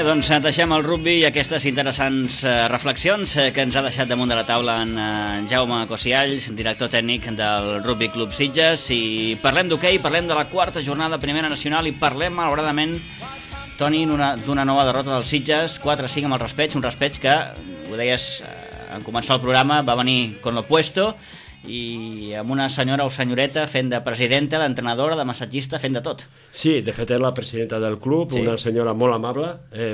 Vinga, doncs deixem el rugby i aquestes interessants reflexions que ens ha deixat damunt de la taula en Jaume Cosialls, director tècnic del Rugby Club Sitges, i parlem d'hoquei, parlem de la quarta jornada de Primera Nacional i parlem, malauradament, Toni, d'una nova derrota dels Sitges, 4-5 amb el Raspeig, un Raspeig que, ho deies en començar el programa, va venir con lo puesto i amb una senyora o senyoreta fent de presidenta, d'entrenadora, de massatgista, fent de tot. Sí, de fet és la presidenta del club, sí. Una senyora molt amable,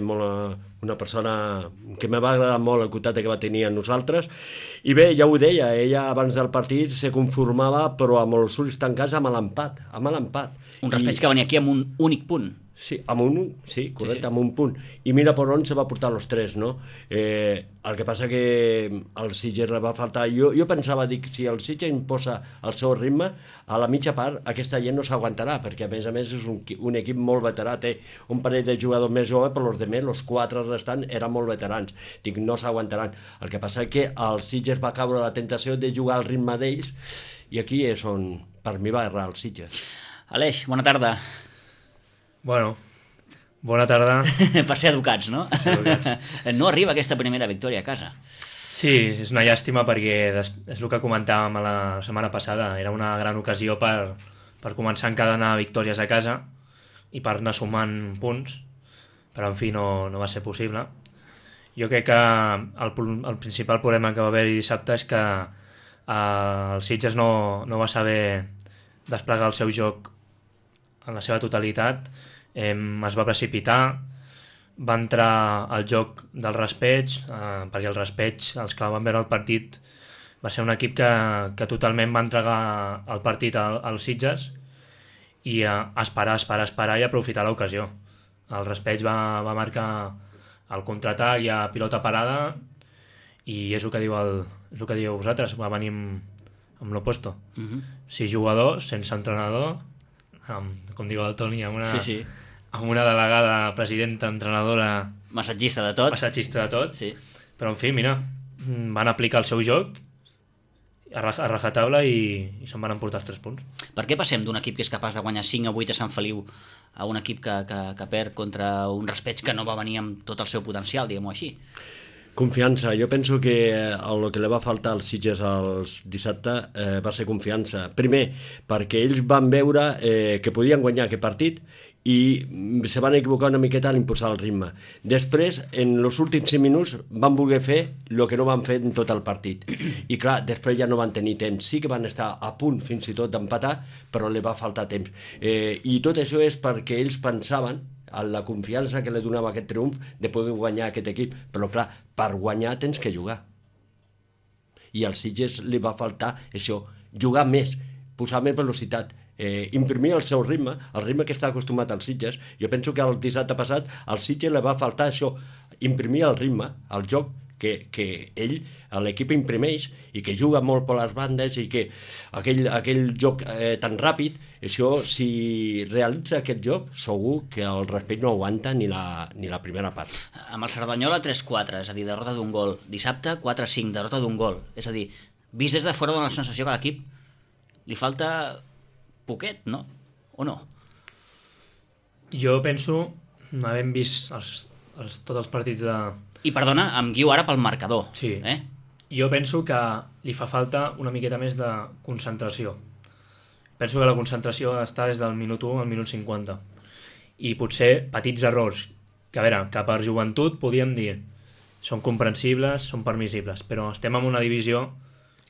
una persona que me va agradar molt el contacte que va tenir amb nosaltres, i bé, ja ho deia, ella abans del partit se conformava però amb els ulls tancats amb l'empat. Un Raspeig que venia aquí amb un únic punt. Sí, correcte, sí. Amb un punt. I mira per on se va portar els tres, no? El que passa que al Sitges li va faltar... Jo pensava, dic, si el Sitges imposa el seu ritme, a la mitja part aquesta gent no s'aguantarà, perquè a més és un equip molt veterà, té un parell de jugadors més joves, però els altres, els quatre restants, eren molt veterans. Dic, no s'aguantaran. El que passa que el Sitges va caure la tentació de jugar al ritme d'ells, i aquí és on, per mi, va errar el Sitges. Aleix, bona tarda. Bueno, bona tarda. Per ser educats, no? No arriba aquesta primera victòria a casa. Sí, és una llàstima perquè és el que comentàvem la setmana passada. Era una gran ocasió per començar a encadenar victòries a casa i per anar sumant punts, però en fi no va ser possible. Jo crec que el principal problema que va haver dissabte és que el Sitges no va saber desplegar el seu joc en la seva totalitat. Es va precipitar, va entrar al joc del Raspeig, perquè el Raspeig, els que van veure el partit, va ser un equip que totalment va entregar el partit als Sitges i esperar i aprofitar l'ocasió. El Raspeig va marcar el contraatac i a pilota parada i és el que diu vosaltres, va venir amb l'opuesto. 6 jugadors, sense entrenador, com diu el Toni, amb una delegada, presidenta, entrenadora... Massatgista de tot. Sí. Però, en fi, mira, van aplicar el seu joc a rajatabla i se'n van emportar els 3 punts. Per què passem d'un equip que és capaç de guanyar 5 o 8 a Sant Feliu a un equip que perd contra un Raspeig que no va venir amb tot el seu potencial, diguem-ho així? Confiança. Jo penso que el que li va faltar als Sitges els dissabte va ser confiança. Primer, perquè ells van veure que podien guanyar aquest partit i se van equivocar una miqueta a l'imposar el ritme. Després, en els últims 5 minuts, van voler fer el que no van fer en tot el partit. I clar, després ja no van tenir temps. Sí que van estar a punt fins i tot d'empatar, però li va faltar temps. I tot això és perquè ells pensaven en la confiança que li donava aquest triomf de poder guanyar aquest equip. Però clar, per guanyar tens que jugar. I als Sitges li va faltar això, jugar més, posar més velocitat, imprimir el seu ritme, el ritme que està acostumat als Sitges. Jo penso que el dissabte passat al Sitges li va faltar això, imprimir el ritme, el joc que l'equip imprimeix i que juga molt per les bandes i que aquell joc tan ràpid, això, si realitza aquest joc, segur que el Raspeig no aguanta ni la primera part. Amb el Cerdanyola 3-4, és a dir, derrota d'un gol. Dissabte 4-5, derrota d'un gol. És a dir, vist des de fora dona la sensació que a l'equip li falta poquet, no? O no? Jo penso, havent vist tots els partits de... I perdona, em guio ara pel marcador. Sí. Jo penso que li fa falta una miqueta més de concentració. Penso que la concentració està des del minut 1 al minut 50. I potser petits errors, que a veure, que per joventut podíem dir són comprensibles, són permissibles, però estem en una divisió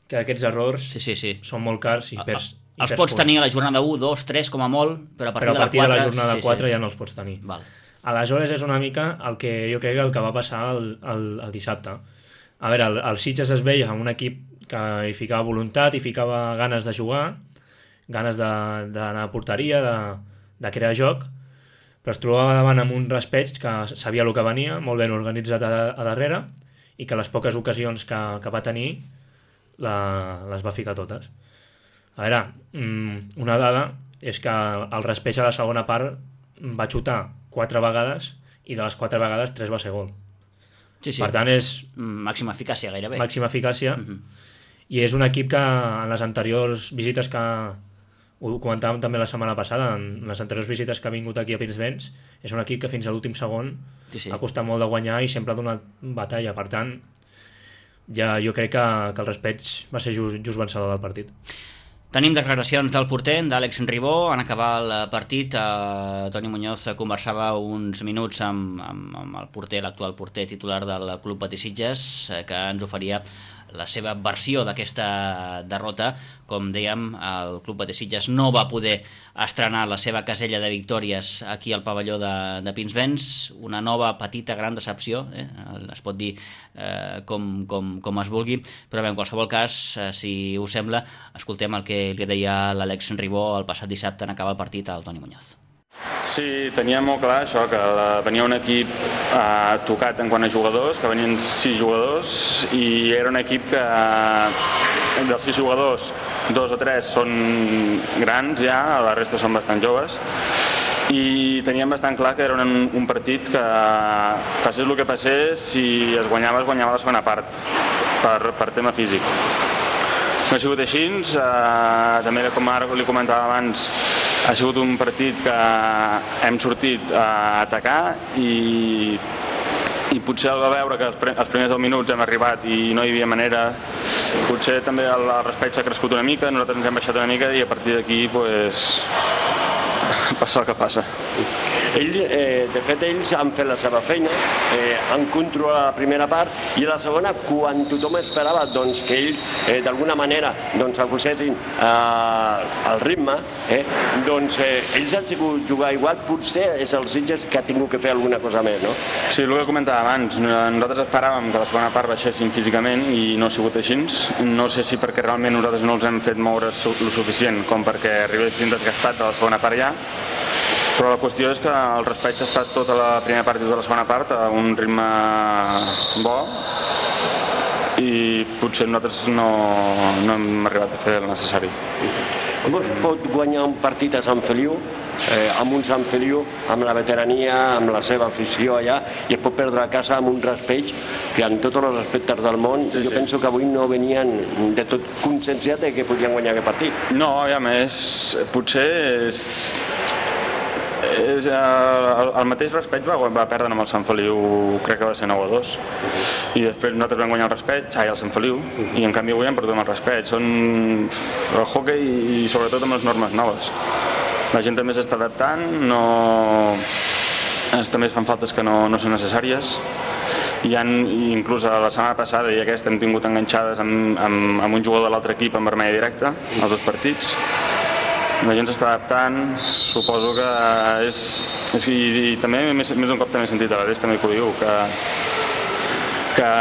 que aquests errors són molt cars i perds. Els pots tenir a la jornada 1, 2, 3 com a molt, però a partir de la jornada 4 ja no els pots tenir. Val. Aleshores és una mica el que jo crec que va passar el dissabte. A veure, el Sitges es veia un equip que hi ficava voluntat, hi ficava ganes de jugar, ganes d'anar a porteria, de crear joc, però es trobava davant amb un Raspeig que sabia el que venia, molt ben organitzat a darrere, i que les poques ocasions que va tenir les va ficar totes. A veure, una dada és que el Raspeig a la segona part va xutar 4 vegades i de les 4 vegades 3 va ser gol. Sí. Per tant, és... Màxima eficàcia, gairebé. Màxima eficàcia. I és un equip que en les anteriors visites que ho comentàvem també la setmana passada, en les anteriors visites que ha vingut aquí a Pinsbens, és un equip que fins a l'últim segon ha costat molt de guanyar i sempre ha donat batalla, per tant ja jo crec que el Raspeig va ser just vencedor del partit. Tenim declaracions del porter, d'Àlex Ribó. En acabar el partit, Toni Muñoz conversava uns minuts amb el porter, l'actual porter titular del Club Patí Sitges, que ens oferia la seva versió d'aquesta derrota. Com dèiem, el Club Patí Sitges no va poder estrenar la seva casella de victòries aquí al pavelló de Pinsbens. Una nova petita gran decepció, es pot dir com es vulgui, però bé, en qualsevol cas, si us sembla, escoltem el que li deia l'Àlex Ribó el passat dissabte en acabar el partit al Toni Muñoz. Sí, tenia molt clar això, que venia un equip tocat en quant a jugadors, que venien 6 jugadors, i era un equip que dels 6 jugadors 2 o 3 són grans ja, la resta són bastant joves, i teníem bastant clar que era un partit que passés el que passés, si es guanyava la segona part, per tema físic. No ha sigut així, també com ara li comentava abans, ha sigut un partit que hem sortit a atacar i potser al veure que els primers 10 minuts hem arribat i no hi havia manera, potser també el Raspeig s'ha crescut una mica, nosaltres ens hem baixat una mica i a partir d'aquí passa el que passa. De fet, ells han fet la seva feina, han controlat la primera part i a la segona, quan tothom esperava que ells d'alguna manera acusessin el ritme, ells han sigut jugar igual, potser és el Sitges que ha tingut que fer alguna cosa més, no? Sí, el que comentava abans, nosaltres esperàvem que la segona part baixessin físicament i no ha sigut així. No sé si perquè realment nosaltres no els hem fet moure el suficient com perquè arribessin desgastats a la segona part ja, però la qüestió és que el Raspeig ha estat tota la primera part i tota la segona part a un ritme bo i potser nosaltres no hem arribat a fer el necessari. Com es pot guanyar un partit a Sant Feliu, amb un Sant Feliu, amb la veterania, amb la seva afició allà, i es pot perdre a casa amb un Raspeig que en tots els aspectes del món jo penso que avui no venien de tot conscienciats que podien guanyar aquest partit. No, i a més, potser el mateix Raspeig va perdre amb el Sant Feliu, crec que va ser 9-2, i després nosaltres vam guanyar el Sant Feliu, i en canvi avui hem perdut amb el Raspeig. Són el hoquei i sobretot amb les normes noves. La gent també s'està adaptant, també es fan faltes que no són necessàries, i inclús la setmana passada i aquesta hem tingut enganxades amb un jugador de l'altre equip en vermella directa, els 2 partits. La gent s'està adaptant, suposo que és... I també més d'un cop també he sentit a l'Ares també que ho diu, que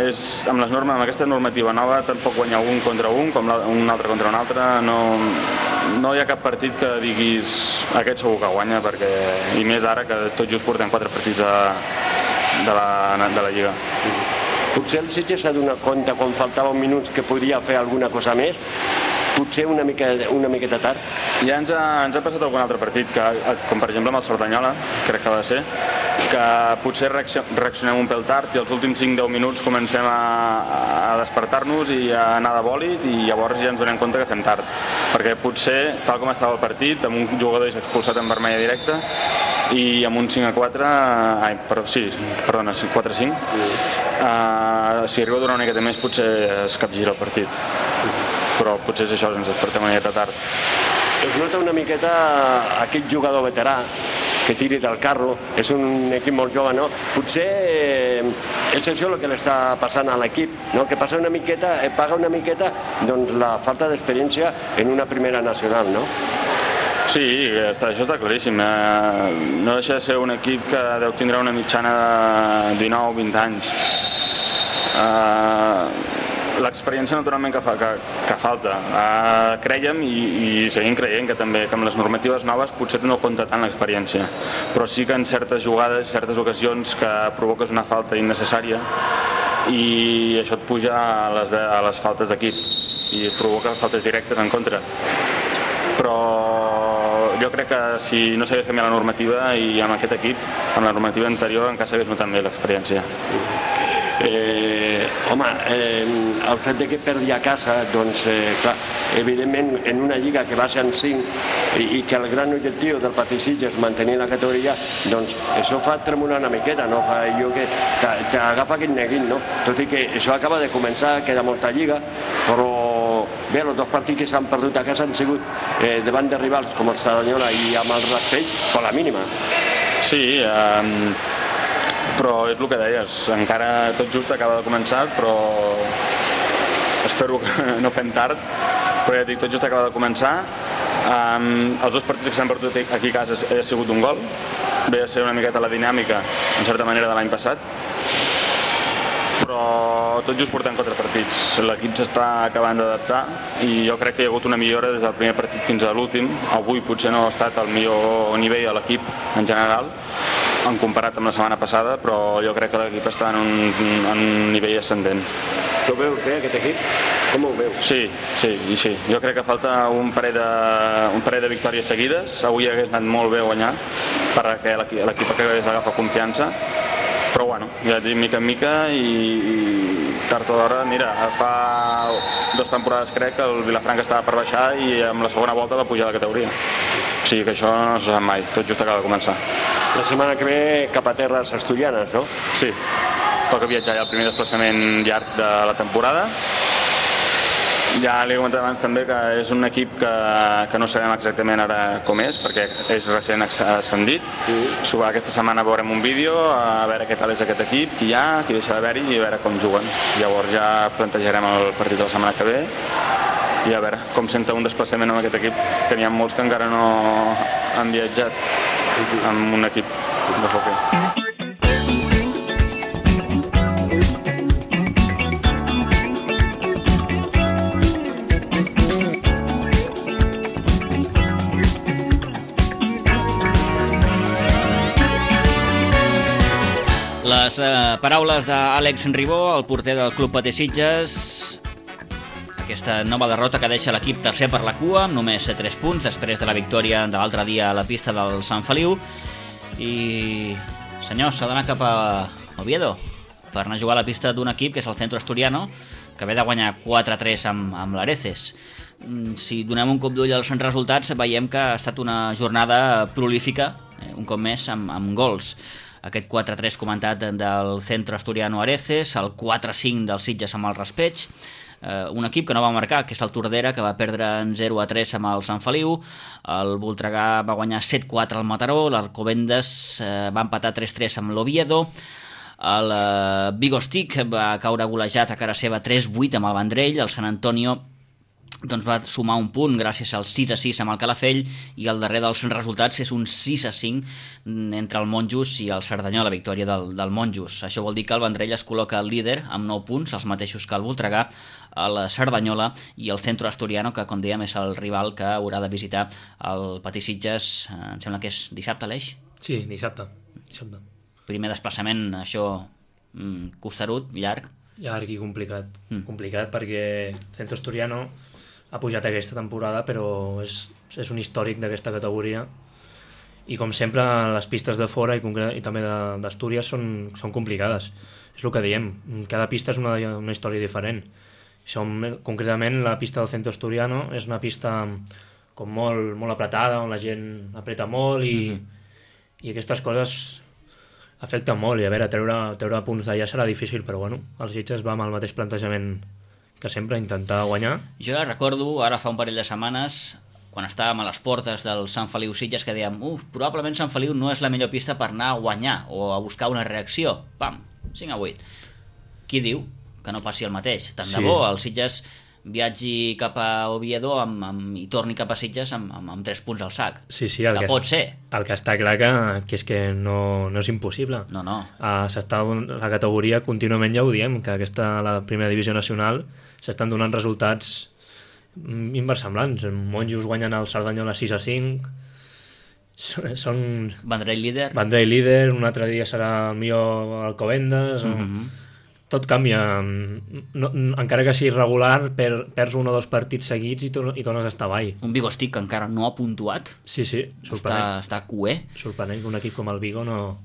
és amb aquesta normativa nova tampoc guanyar un contra un, com un altre contra un altre, no hi ha cap partit que diguis aquest segur que guanya, i més ara que tot just portem 4 partits de la Lliga. Potser el Sitges s'ha donat compte quan faltaven minuts que podia fer alguna cosa més, potser una miqueta tard. Ja ens ha passat algun altre partit, com per exemple amb el Cerdanyola, crec que va ser, que potser reaccionem un pèl tard i els últims 5-10 minuts comencem a despertar-nos i a anar de bòlit i llavors ja ens donem compte que fem tard. Perquè potser, tal com estava el partit, amb un jugador expulsat en vermella directa i amb un 5-4, 4-5, si arriba a durar una miqueta més potser es capgira el partit. Però potser és això, ens despertem una miqueta tard. Es nota una miqueta aquest jugador veterà que tiri del carro, és un equip molt jove, no? Potser és això el que li està passant a l'equip, no? Que paga una miqueta la falta d'experiència en una primera nacional, no? Sí, això està claríssim. No deixa de ser un equip que deu tindre una mitjana de 19-20 anys. L'experiència naturalment que falta. Creiem i seguim creient que també que amb les normatives noves potser no compta tant l'experiència, però sí que en certes jugades, certes ocasions que provoques una falta innecessària i això et puja a les faltes d'equip i provoca faltes directes en contra. Però jo crec que si no s'hagués canviat la normativa i amb aquest equip, amb la normativa anterior encara s'hagués notat bé l'experiència. El fet que perdi a casa, doncs, clar, evidentment, en una lliga que va ser en 5 i que el gran objectiu del Patí Sitges és mantenir la categoria, doncs això fa tremolar una miqueta, no? Fa allò que t'agafa aquest neguit, no? Tot i que això acaba de començar, queda molta lliga, però bé, els 2 partits que s'han perdut a casa han sigut davant de rivals com el Cerdanyola i amb el Raspell, per la mínima. Sí, però és el que deies, encara tot just acaba de començar, però espero que no fem tard, però ja dic, tot just acaba de començar. Els 2 partits que s'han perdut aquí a casa ha sigut un gol, ve a ser una miqueta la dinàmica, en certa manera, de l'any passat, però tot just portant 4 partits. L'equip s'està acabant d'adaptar i jo crec que hi ha hagut una millora des del primer partit fins a l'últim. Avui potser no ha estat el millor nivell a l'equip en general, en comparat amb la setmana passada, però jo crec que l'equip està en un nivell ascendent. Tu veus bé aquest equip? Com ho veus? Sí. Jo crec que falta un parell de victòries seguides. Avui hagués anat molt bé guanyar perquè l'equip hagués agafat confiança. Però bueno, ja et dic, mica en mica i tard o d'hora, mira, fa 2 temporades crec que el Vilafranca estava per baixar i amb la segona volta va pujar a la categoria. O sigui que això no se sap mai, tot just acaba de començar. La setmana que ve cap a terres asturianes, no? Sí, es toca viatjar ja el primer desplaçament llarg de la temporada. Ja li he comentat abans també que és un equip que no sabem exactament ara com és, perquè és recent ascendit. Aquesta setmana veurem un vídeo, a veure què tal és aquest equip, qui hi ha, qui deixa d'haver-hi i a veure com juguen. Llavors ja plantejarem el partit de la setmana que ve i a veure com senta un desplaçament amb aquest equip, que n'hi ha molts que encara no han viatjat amb un equip de hoquei. Les paraules d'Àlex Ribó, el porter del Club Patí Sitges. Aquesta nova derrota que deixa l'equip tercer per la cua, amb només 3 punts, després de la victòria de l'altre dia a la pista del Sant Feliu. I, senyors, s'ha d'anar cap a Oviedo per anar a jugar a la pista d'un equip que és el Centro Asturiano, que ve de guanyar 4-3 amb l'Areces. Si donem un cop d'ull als resultats, veiem que ha estat una jornada prolífica, un cop més, amb gols. Aquest 4-3 comentat del Centro Asturiano Areces, el 4-5 del Sitges amb el Raspeig, un equip que no va marcar, que és el Tordera, que va perdre en 0-3 amb el Sant Feliu, el Voltregà va guanyar 7-4 al Mataró, l'Alcobendas va empatar 3-3 amb l'Oviedo, el Vigostic va caure golejat a cara seva 3-8 amb el Vendrell, el Sant Antonio doncs va sumar un punt gràcies al 6-6 amb el Calafell i el darrer dels resultats és un 6-5 entre el Monjos i el Cerdanyola, la victòria del Monjos. Això vol dir que el Vendrell es col·loca el líder amb 9 punts, els mateixos que el Voltregà, el Cerdanyola i el Centro Asturiano, que com dèiem és el rival que haurà de visitar el Patí Sitges, em sembla que és dissabte, Aleix? Sí, dissabte. Primer desplaçament, això costerut, llarg. Llarg i complicat. Complicat perquè Centro Asturiano ha pujat aquesta temporada, però és un històric d'aquesta categoria i com sempre les pistes de fora i també d'Astúries són complicades, és el que diem, cada pista és una història diferent. Concretament la pista del Centro Asturiano és una pista com molt apretada, on la gent apreta molt i aquestes coses afecten molt, i a veure, treure punts d'allà serà difícil, però bueno, el Sitges va amb el mateix plantejament que sempre, intentar guanyar. Jo recordo, ara fa un parell de setmanes, quan estàvem a les portes del Sant Feliu Sitges, que dèiem, probablement Sant Feliu no és la millor pista per anar a guanyar o a buscar una reacció. Pam, 5-8. Qui diu que no passi el mateix? Tant de bo, el Sitges viatgi cap a Oviedo i torni cap a Sitges amb 3 punts al sac. Sí, que pot ser. El que està clar que és que no és impossible. No. La categoria contínuament ja ho diem, que la primera divisió nacional s'estan donant resultats inversemblants. Monjos guanyen el Cerdanyola 6-5, són... Vendrell líder, un altre dia serà el millor Alcobendas... Tot canvia, encara que sigui regular, perds 1 o 2 partits seguits i tornes a estar avall. Un Vigostic que encara no ha puntuat. Sí, sorprenent. Està cué. Sorprenent que un equip com el Vigo no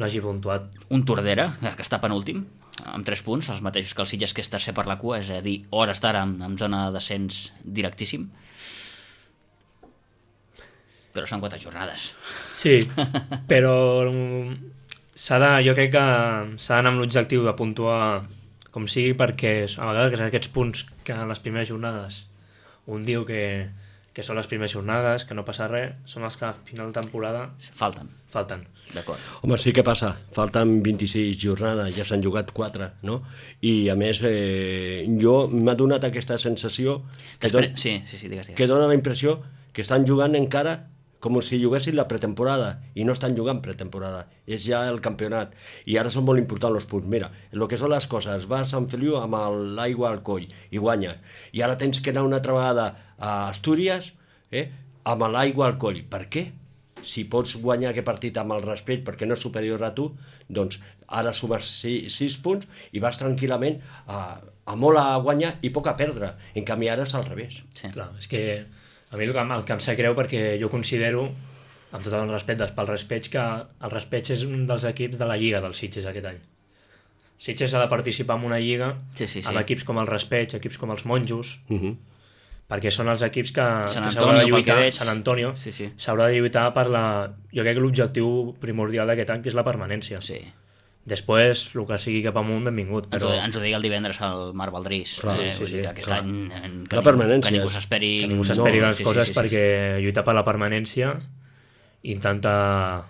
hagi puntuat. Un Tordera, que està penúltim. amb 3 punts, els mateixos que el Sitges, que és tercer per la cua, és a dir, hores d'ara en zona de descens directíssim. Però són 4 jornades. Sí, però jo crec que s'ha d'anar amb l'objectiu de puntuar com sigui, perquè a vegades aquests punts que en les primeres jornades un diu que són les primeres jornades, que no passa res, són els que a final de temporada Falten. D'acord. Home, sí que passa, falten 26 jornades, ja s'han jugat 4, no? I a més, jo m'ha donat aquesta sensació Sí, digues. que dona la impressió que estan jugant encara com si juguessin la pretemporada, i no estan jugant pretemporada, és ja el campionat, i ara són molt importants els punts. Mira, el que són les coses, va a Sant Feliu amb l'aigua al coll i guanya, i ara tens que anar una altra vegada a Astúries amb l'aigua al coll. Per què? Si pots guanyar aquest partit amb el respecte perquè no és superior a tu, doncs ara sumes 6 punts i vas tranquil·lament a molt a guanyar i poc a perdre. En canvi ara és al revés. Sí. Clar, és que a mi el que em sap greu, perquè jo considero, amb tot el respecte pel Raspeig, que el Raspeig és un dels equips de la Lliga del Sitges aquest any. Sitges ha de participar en una lliga amb equips com el Raspeig, equips com els Monjos, perquè són els equips que s'haurà de lluitar. Sant Antonio s'haurà de lluitar per jo crec que l'objectiu primordial d'aquest any, que és la permanència. Sí. Després, el que sigui cap amunt, benvingut. Però Ens ho digui el divendres al Marc Valdrís. Aquest any permanència. Que ningú s'esperi grans coses, perquè lluitar per la permanència, intentar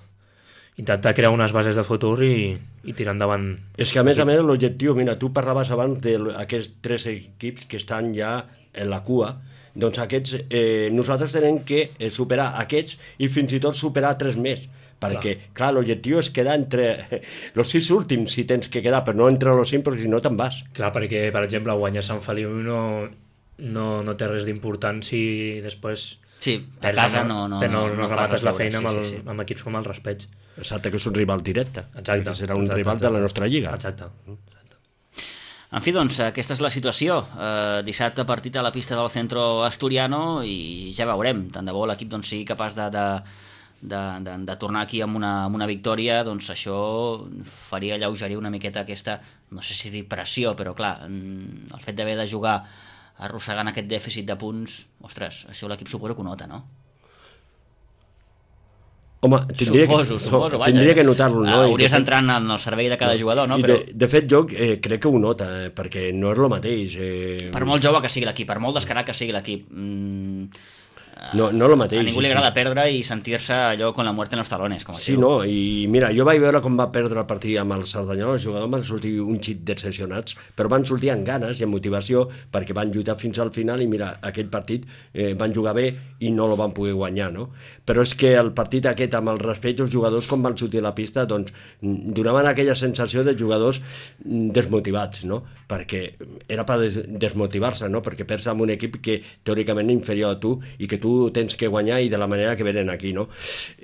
crear unes bases de futur i tirar endavant. És que a més l'objectiu, mira, tu parlaves abans d'aquests 3 equips que estan ja en la cua, doncs aquests, nosaltres tenem que superar aquests i fins i tot superar 3 més, perquè, clar, l'objectiu és quedar entre els 6 últims, si tens que quedar, però no entre els 5, perquè si no te'n vas. Clar, perquè, per exemple, guanyar Sant Feliu no té res d'important si després... Sí, a casa no remates la feina amb equips com el Raspeig. Exacte, que és un rival directe. Exacte. Serà un rival de la nostra lliga. Exacte. En fi, doncs, aquesta és la situació. Dissabte partit a la pista del Centro Asturiano i ja veurem. Tant de bo l'equip sigui capaç de tornar aquí amb una victòria, doncs això faria alleugerir una miqueta aquesta, no sé si dir pressió, però clar, el fet d'haver de jugar arrossegant aquest dèficit de punts, ostres, això l'equip suposo que ho nota, no? Home, suposo, vaja. Tindria que notar-lo, no? Hauries d'entrar en el servei de cada jugador, no? Però... De fet, jo crec que ho nota, perquè no és el mateix. Per molt jove que sigui l'equip, per molt descarat que sigui l'equip, no el mateix. A ningú li agrada perdre i sentir-se allò con la muerte en los talones, com es diu. Sí, no, i mira, jo vaig veure com va perdre el partit amb el Cerdanyola, els jugadors van sortir un xic decepcionats, però van sortir amb ganes i amb motivació, perquè van lluitar fins al final i mira, aquell partit van jugar bé i no el van poder guanyar, no? Però és que el partit aquest amb el respecte, els jugadors com van sortir a la pista, doncs donaven aquella sensació de jugadors desmotivats, no? Perquè era per desmotivar-se, no? Perquè perds amb un equip que teòricament és inferior a tu i que tu tens que guanyar i de la manera que venen aquí, no?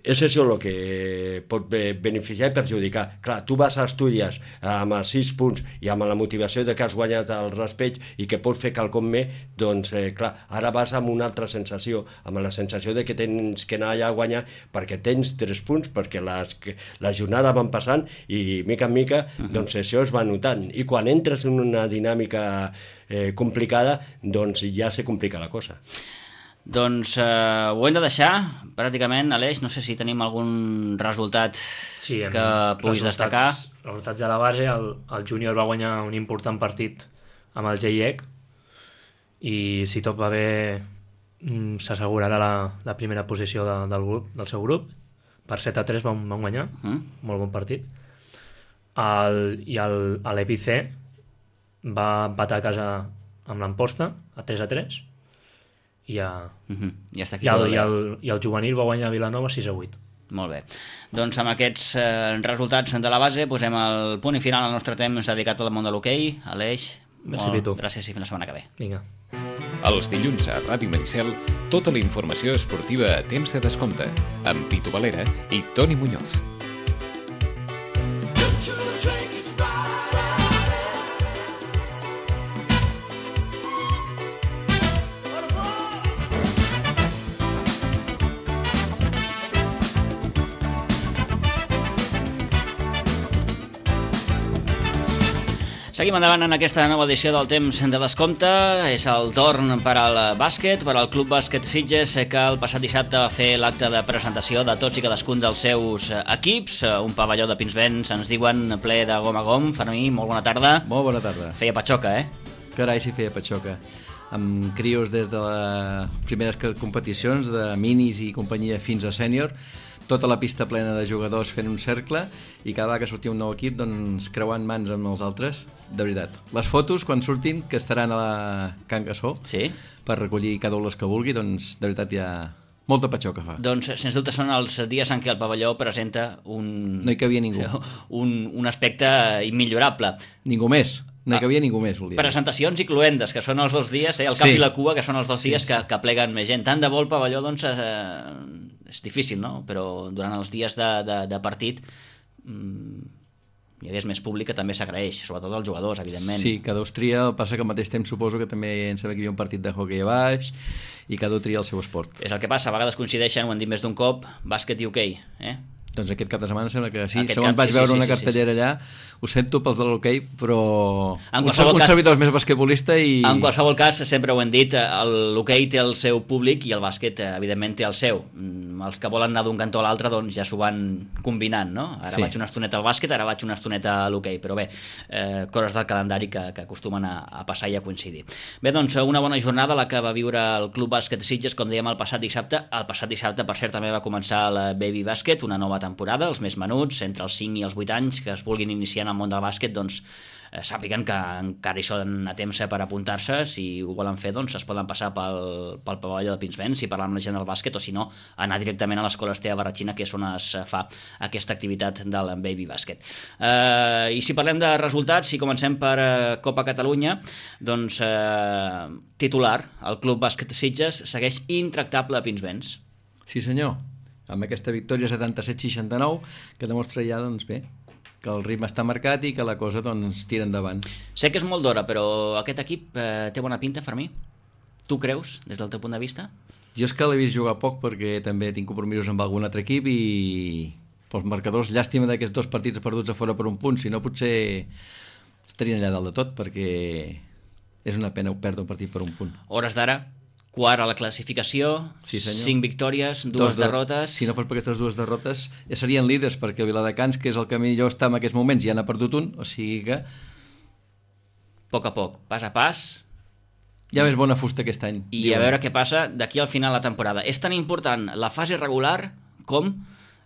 És això el que pot beneficiar i perjudicar. Clar, tu vas a Astúries amb els 6 punts i amb la motivació de que has guanyat el respecte i que pots fer quelcom més, doncs, clar, ara vas amb una altra sensació, amb la sensació de que tens que anar allà a guanyar perquè tens 3 punts, perquè la jornada van passant i mica en mica, doncs això es va notant. I quan entres en una dinàmica complicada, doncs ja se complica la cosa. Doncs ho hem de deixar, pràcticament, Aleix, no sé si tenim algun resultat que puguis destacar. Resultats de la base, el júnior va guanyar un important partit amb el GIEC i si tot va bé s'assegurarà la primera posició del seu grup. Per 7-3 van guanyar, molt bon partit. I l'EPC va empatar a casa amb l'Amposta a 3-3 i el juvenil va guanyar a Vilanova 6-8. Molt bé. Doncs amb aquests resultats de la base posem el punt i final al nostre temps dedicat al món de l'hoquei. Aleix, gràcies i fins la setmana que ve. Vinga. Els dilluns a Ràdio Maricel, tota la informació esportiva a temps de descompte, amb Pitu Valera i Toni Muñoz. Seguim endavant en aquesta nova edició del Temps de Descompte. És el torn per al bàsquet, per al Club Bàsquet Sitges, que el passat dissabte va fer l'acte de presentació de tots i cadascun dels seus equips. Un pavelló de Pinsbens, ens diuen, ple de gom a gom. Fermí, molt bona tarda. Molt bona tarda. Feia patxoca, Carai, sí feia patxoca. Amb crios des de les primeres competicions, de minis i companyia fins a sènior, tota la pista plena de jugadors fent un cercle i cada vegada que sortia un nou equip doncs creuant mans amb els altres, de veritat. Les fotos quan surtin, que estaran a la Can Gassó, sí, per recollir cada un les que vulgui, doncs de veritat hi ha molta patxoca fa. Doncs sens dubte són els dies en què el pavelló presenta No hi cabia ningú. un aspecte immillorable. Ningú més. No hi cabia ningú més, volia dir. Presentacions i cluendes, que són els 2 dies, el cap i la cua, que són els 2 dies que pleguen més gent. Tant de bo el pavelló, doncs, és difícil, no? Però durant els dies de partit hi hagués més públic, que també s'agraeix, sobretot els jugadors, evidentment. Sí, cada un tria, el passa que al mateix temps suposo que també em sembla que hi havia un partit de hoquei a baix i cada un tria el seu esport. És el que passa, a vegades coincideixen, ho hem dit més d'un cop, bàsquet i hoquei, Doncs aquest cap de setmana sembla que sí. Aquest Segons vaig veure una cartellera sí. allà, ho sento pels de l'hoquei, però un cas, servidor més basquetbolista i... En qualsevol cas, sempre ho hem dit, l'hoquei té el seu públic i el bàsquet, evidentment, té el seu. Els que volen anar d'un cantó a l'altre, doncs ja s'ho van combinant, no? Ara vaig una estoneta al bàsquet, ara vaig una estoneta a l'hoquei, però bé, coses del calendari que acostumen a passar i a coincidir. Bé, doncs, una bona jornada la que va viure el Club Bàsquet Sitges, com dèiem, el passat dissabte. El passat dissabte, per cert, també va començar el Baby Bàsquet, una nova temporada, els més menuts, entre els 5 i els 8 anys, que es vulguin iniciar en el món del bàsquet, doncs sàpiguen que encara hi són a temps per apuntar-se. Si ho volen fer, doncs es poden passar pel pavelló de Pinsbens i parlar amb la gent del bàsquet, o si no, anar directament a l'escola Estea Barratxina, que és on es fa aquesta activitat del Baby Bàsquet. I si parlem de resultats, si comencem per Copa Catalunya, doncs titular, el Club Bàsquet Sitges segueix intractable a Pinsbens. Sí senyor, amb aquesta victòria 77-69 que demostra ja, doncs bé, que el ritme està marcat i que la cosa doncs tira endavant. Sé que és molt d'hora, però aquest equip té bona pinta, Fermí? Tu creus, des del teu punt de vista? Jo és que l'he vist jugar poc perquè també tinc compromisos amb algun altre equip i pels marcadors, llàstima d'aquests 2 partits perduts a fora per un punt, si no potser estarien allà dalt de tot, perquè és una pena perdre un partit per un punt. Hores d'ara, quart a la classificació, sí, 5 victòries, 2 derrotes... Si no fos per aquestes 2 derrotes, ja serien líders, perquè el Viladecans, que és el que millor està en aquests moments, ja n'ha perdut un, o sigui que... A poc, pas a pas... Ja més bona fusta aquest any. I a veure què passa d'aquí al final de la temporada. És tan important la fase regular com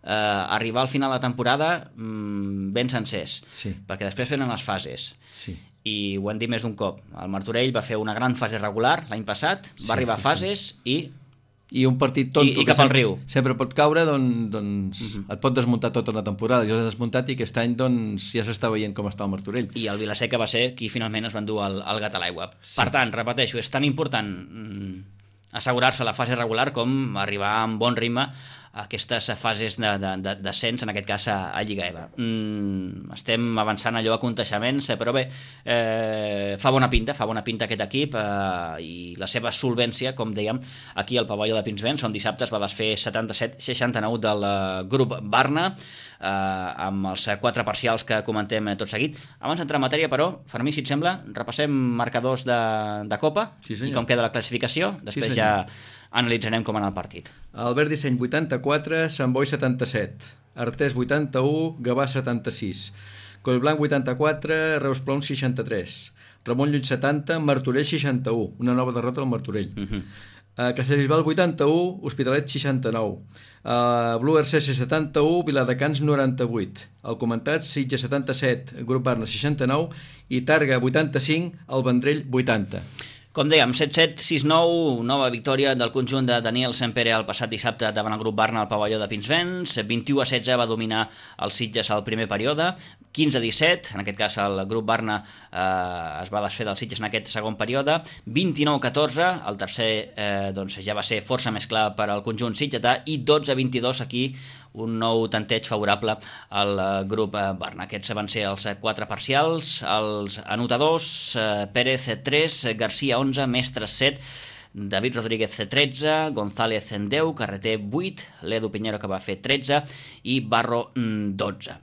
arribar al final de la temporada ben sencers, perquè després venen les fases. Sí. I ho hem dit més d'un cop. El Martorell va fer una gran fase regular l'any passat, va arribar a fases i un partit tonto i cap al riu. Sempre pot caure, doncs et pot desmuntar tota una temporada. Ja l'ha desmuntat i aquest any doncs, ja s'està veient com està el Martorell. I el Vilaseca va ser qui finalment es va endur el gat a l'aigua. Sí. Per tant, repeteixo, és tan important assegurar-se la fase regular com arribar amb bon ritme a aquestes fases d'ascens, en aquest cas a Lliga EVA. Estem avançant allò a conteixements, però bé, fa bona pinta aquest equip i la seva solvència, com dèiem, aquí al pavelló de Pinsbens, on dissabte es va desfer 77-69 del grup Barna, amb els 4 parcials que comentem tot seguit. Abans d'entrar en matèria, però, Fermí, si et sembla, repassem marcadors de Copa i com queda la classificació. Després ja analitzarem com anar el partit. Albert Disseny 84, Sant Boi 77, Artés 81, Gavà 76, Collblanc 84, Reus Plom 63, Ramon Llull 70, Martorell 61, una nova derrota al Martorell. Castellbisbal 81, Hospitalet 69, Blue RCS 71, Viladecans 98, el comentat Sitges 77, Grup Barna 69 i Targa 85, el Vendrell 80. Com dèiem, 7-7, 6-9, nova victòria del conjunt de Daniel Sempere el passat dissabte davant el grup Barna al pavelló de Pinsbens. 21-16 va dominar el Sitges al primer període. 15-17, en aquest cas el grup Barna es va desfer del Sitges en aquest segon període. 29-14, el tercer doncs ja va ser força més clar per al conjunt sitgetà, i 12-22 aquí un nou tanteig favorable al grup Barna. Aquests van ser els 4 parcials, els anotadors: Pérez 3, Garcia 11, Mestres 7, David Rodríguez 13, González 10, Carreter 8, l'Edu Piñero que va fer 13 i Barro 12.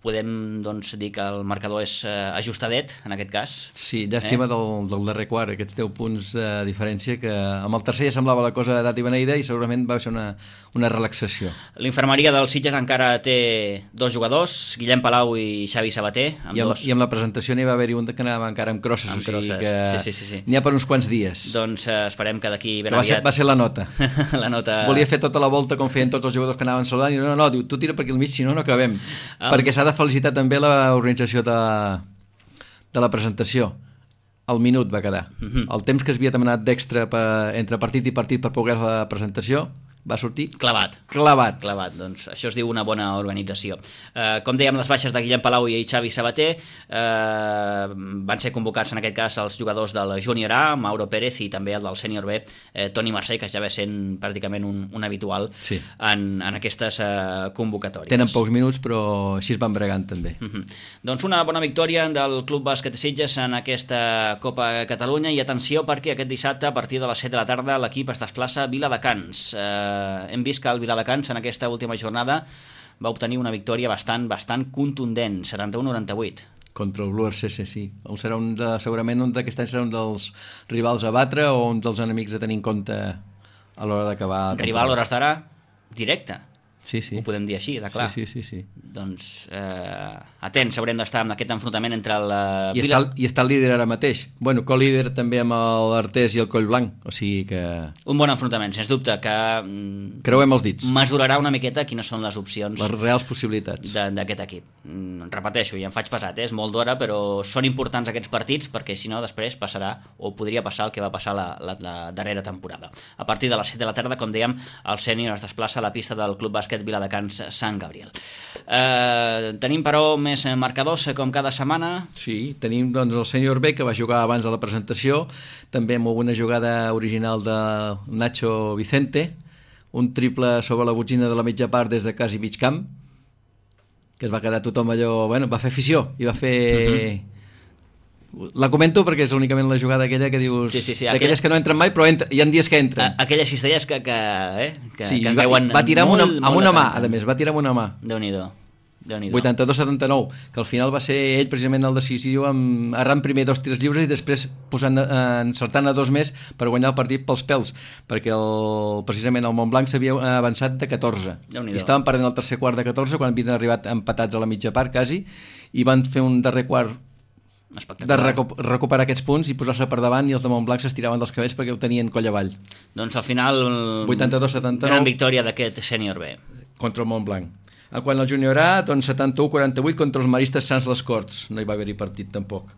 podem doncs, dir que el marcador és ajustadet, en aquest cas. Sí, llàstima del darrer quart, aquests 10 punts de diferència, que amb el tercer ja semblava la cosa d'at i beneïda i segurament va ser una relaxació. L'infermeria del Sitges encara té 2 jugadors, Guillem Palau i Xavi Sabater. I amb la presentació n'hi va haver-hi un que anava encara amb crosses, o sigui que sí. n'hi ha per uns quants dies. Doncs esperem que d'aquí ben aviat... Va ser la nota. La nota. Volia fer tota la volta com feien tots els jugadors que anaven saludant i no, diu, tu tira per aquí al mig, si no acabem. Perquè s'ha de felicitar també l'organització de la presentació. El minut va quedar. El temps que es havia demanat d'extra entre partit i partit per poder fer la presentació va sortir clavat. Doncs això es diu una bona organització. Com dèiem, les baixes de Guillem Palau i Xavi Sabater van ser convocats en aquest cas els jugadors del Júnior A, Mauro Pérez, i també el del Sènior B, Toni Mercè, que ja ve sent pràcticament un habitual en aquestes convocatòries. Tenen pocs minuts, però així es van bregant també. Doncs una bona victòria del Club Bàsquet Sitges en aquesta Copa Catalunya, i atenció perquè aquest dissabte a partir de les 7 de la tarda l'equip es desplaça a Viladecans. Hem vist que el Viladecans en aquesta última jornada va obtenir una victòria bastant contundent, 71-98. Contra el Blue RCC, sí. Segurament d'aquest any serà un dels rivals a batre o un dels enemics a tenir en compte a l'hora d'acabar. Rival a l'hores d'ara directe. Sí. Ho podem dir així, de clar. Sí. Doncs atents, haurem d'estar amb aquest enfrontament entre el I està el líder ara mateix. Bueno, co-líder també amb l'Artés i el Collblanc, o sigui que... Un bon enfrontament, sens dubte, que... Creuem els dits. Mesurarà una miqueta quines són les opcions... Les reals possibilitats. D'aquest equip. Repeteixo, i em faig pesat, és molt d'hora, però són importants aquests partits, perquè si no després passarà, o podria passar el que va passar la darrera temporada. A partir de les 7 de la tarda, com dèiem, el Sènior es desplaça a la pista del Club Bàsquet Viladecans Sant Gabriel. Tenim però més marcadors com cada setmana. Sí, tenim doncs el Sènior B, que va jugar abans de la presentació, també amb una jugada original de Nacho Vicente, un triple sobre la botzina de la mitja part des de quasi mig camp, que es va quedar tothom allò, bueno, va fer afició i va fer... La comento perquè és únicament la jugada aquella que dius... Sí, d'aquelles que no entren mai, però hi ha dies que entren. Aquelles cistelles que sí, es veuen va tirar amb una mà, a més, va tirar amb una mà. Déu-n'hi-do. 82-79, que al final va ser ell precisament el decisiu, errant primer 2 tirs lliures i després encertant a 2 més per guanyar el partit pels pèls, perquè precisament el Montblanc s'havia avançat de 14 i estaven perdent el tercer quart de 14 quan havien arribat empatats a la mitja part quasi, i van fer un darrer quart de recuperar aquests punts i posar-se per davant, i els de Montblanc s'estiraven dels cabells perquè ho tenien coll avall. Doncs al final 82-79, gran victòria d'aquest Sènior B contra el Montblanc. Quan el Júnior A, doncs 71-48 contra els Maristes Sants les Corts, no hi va haver-hi partit tampoc.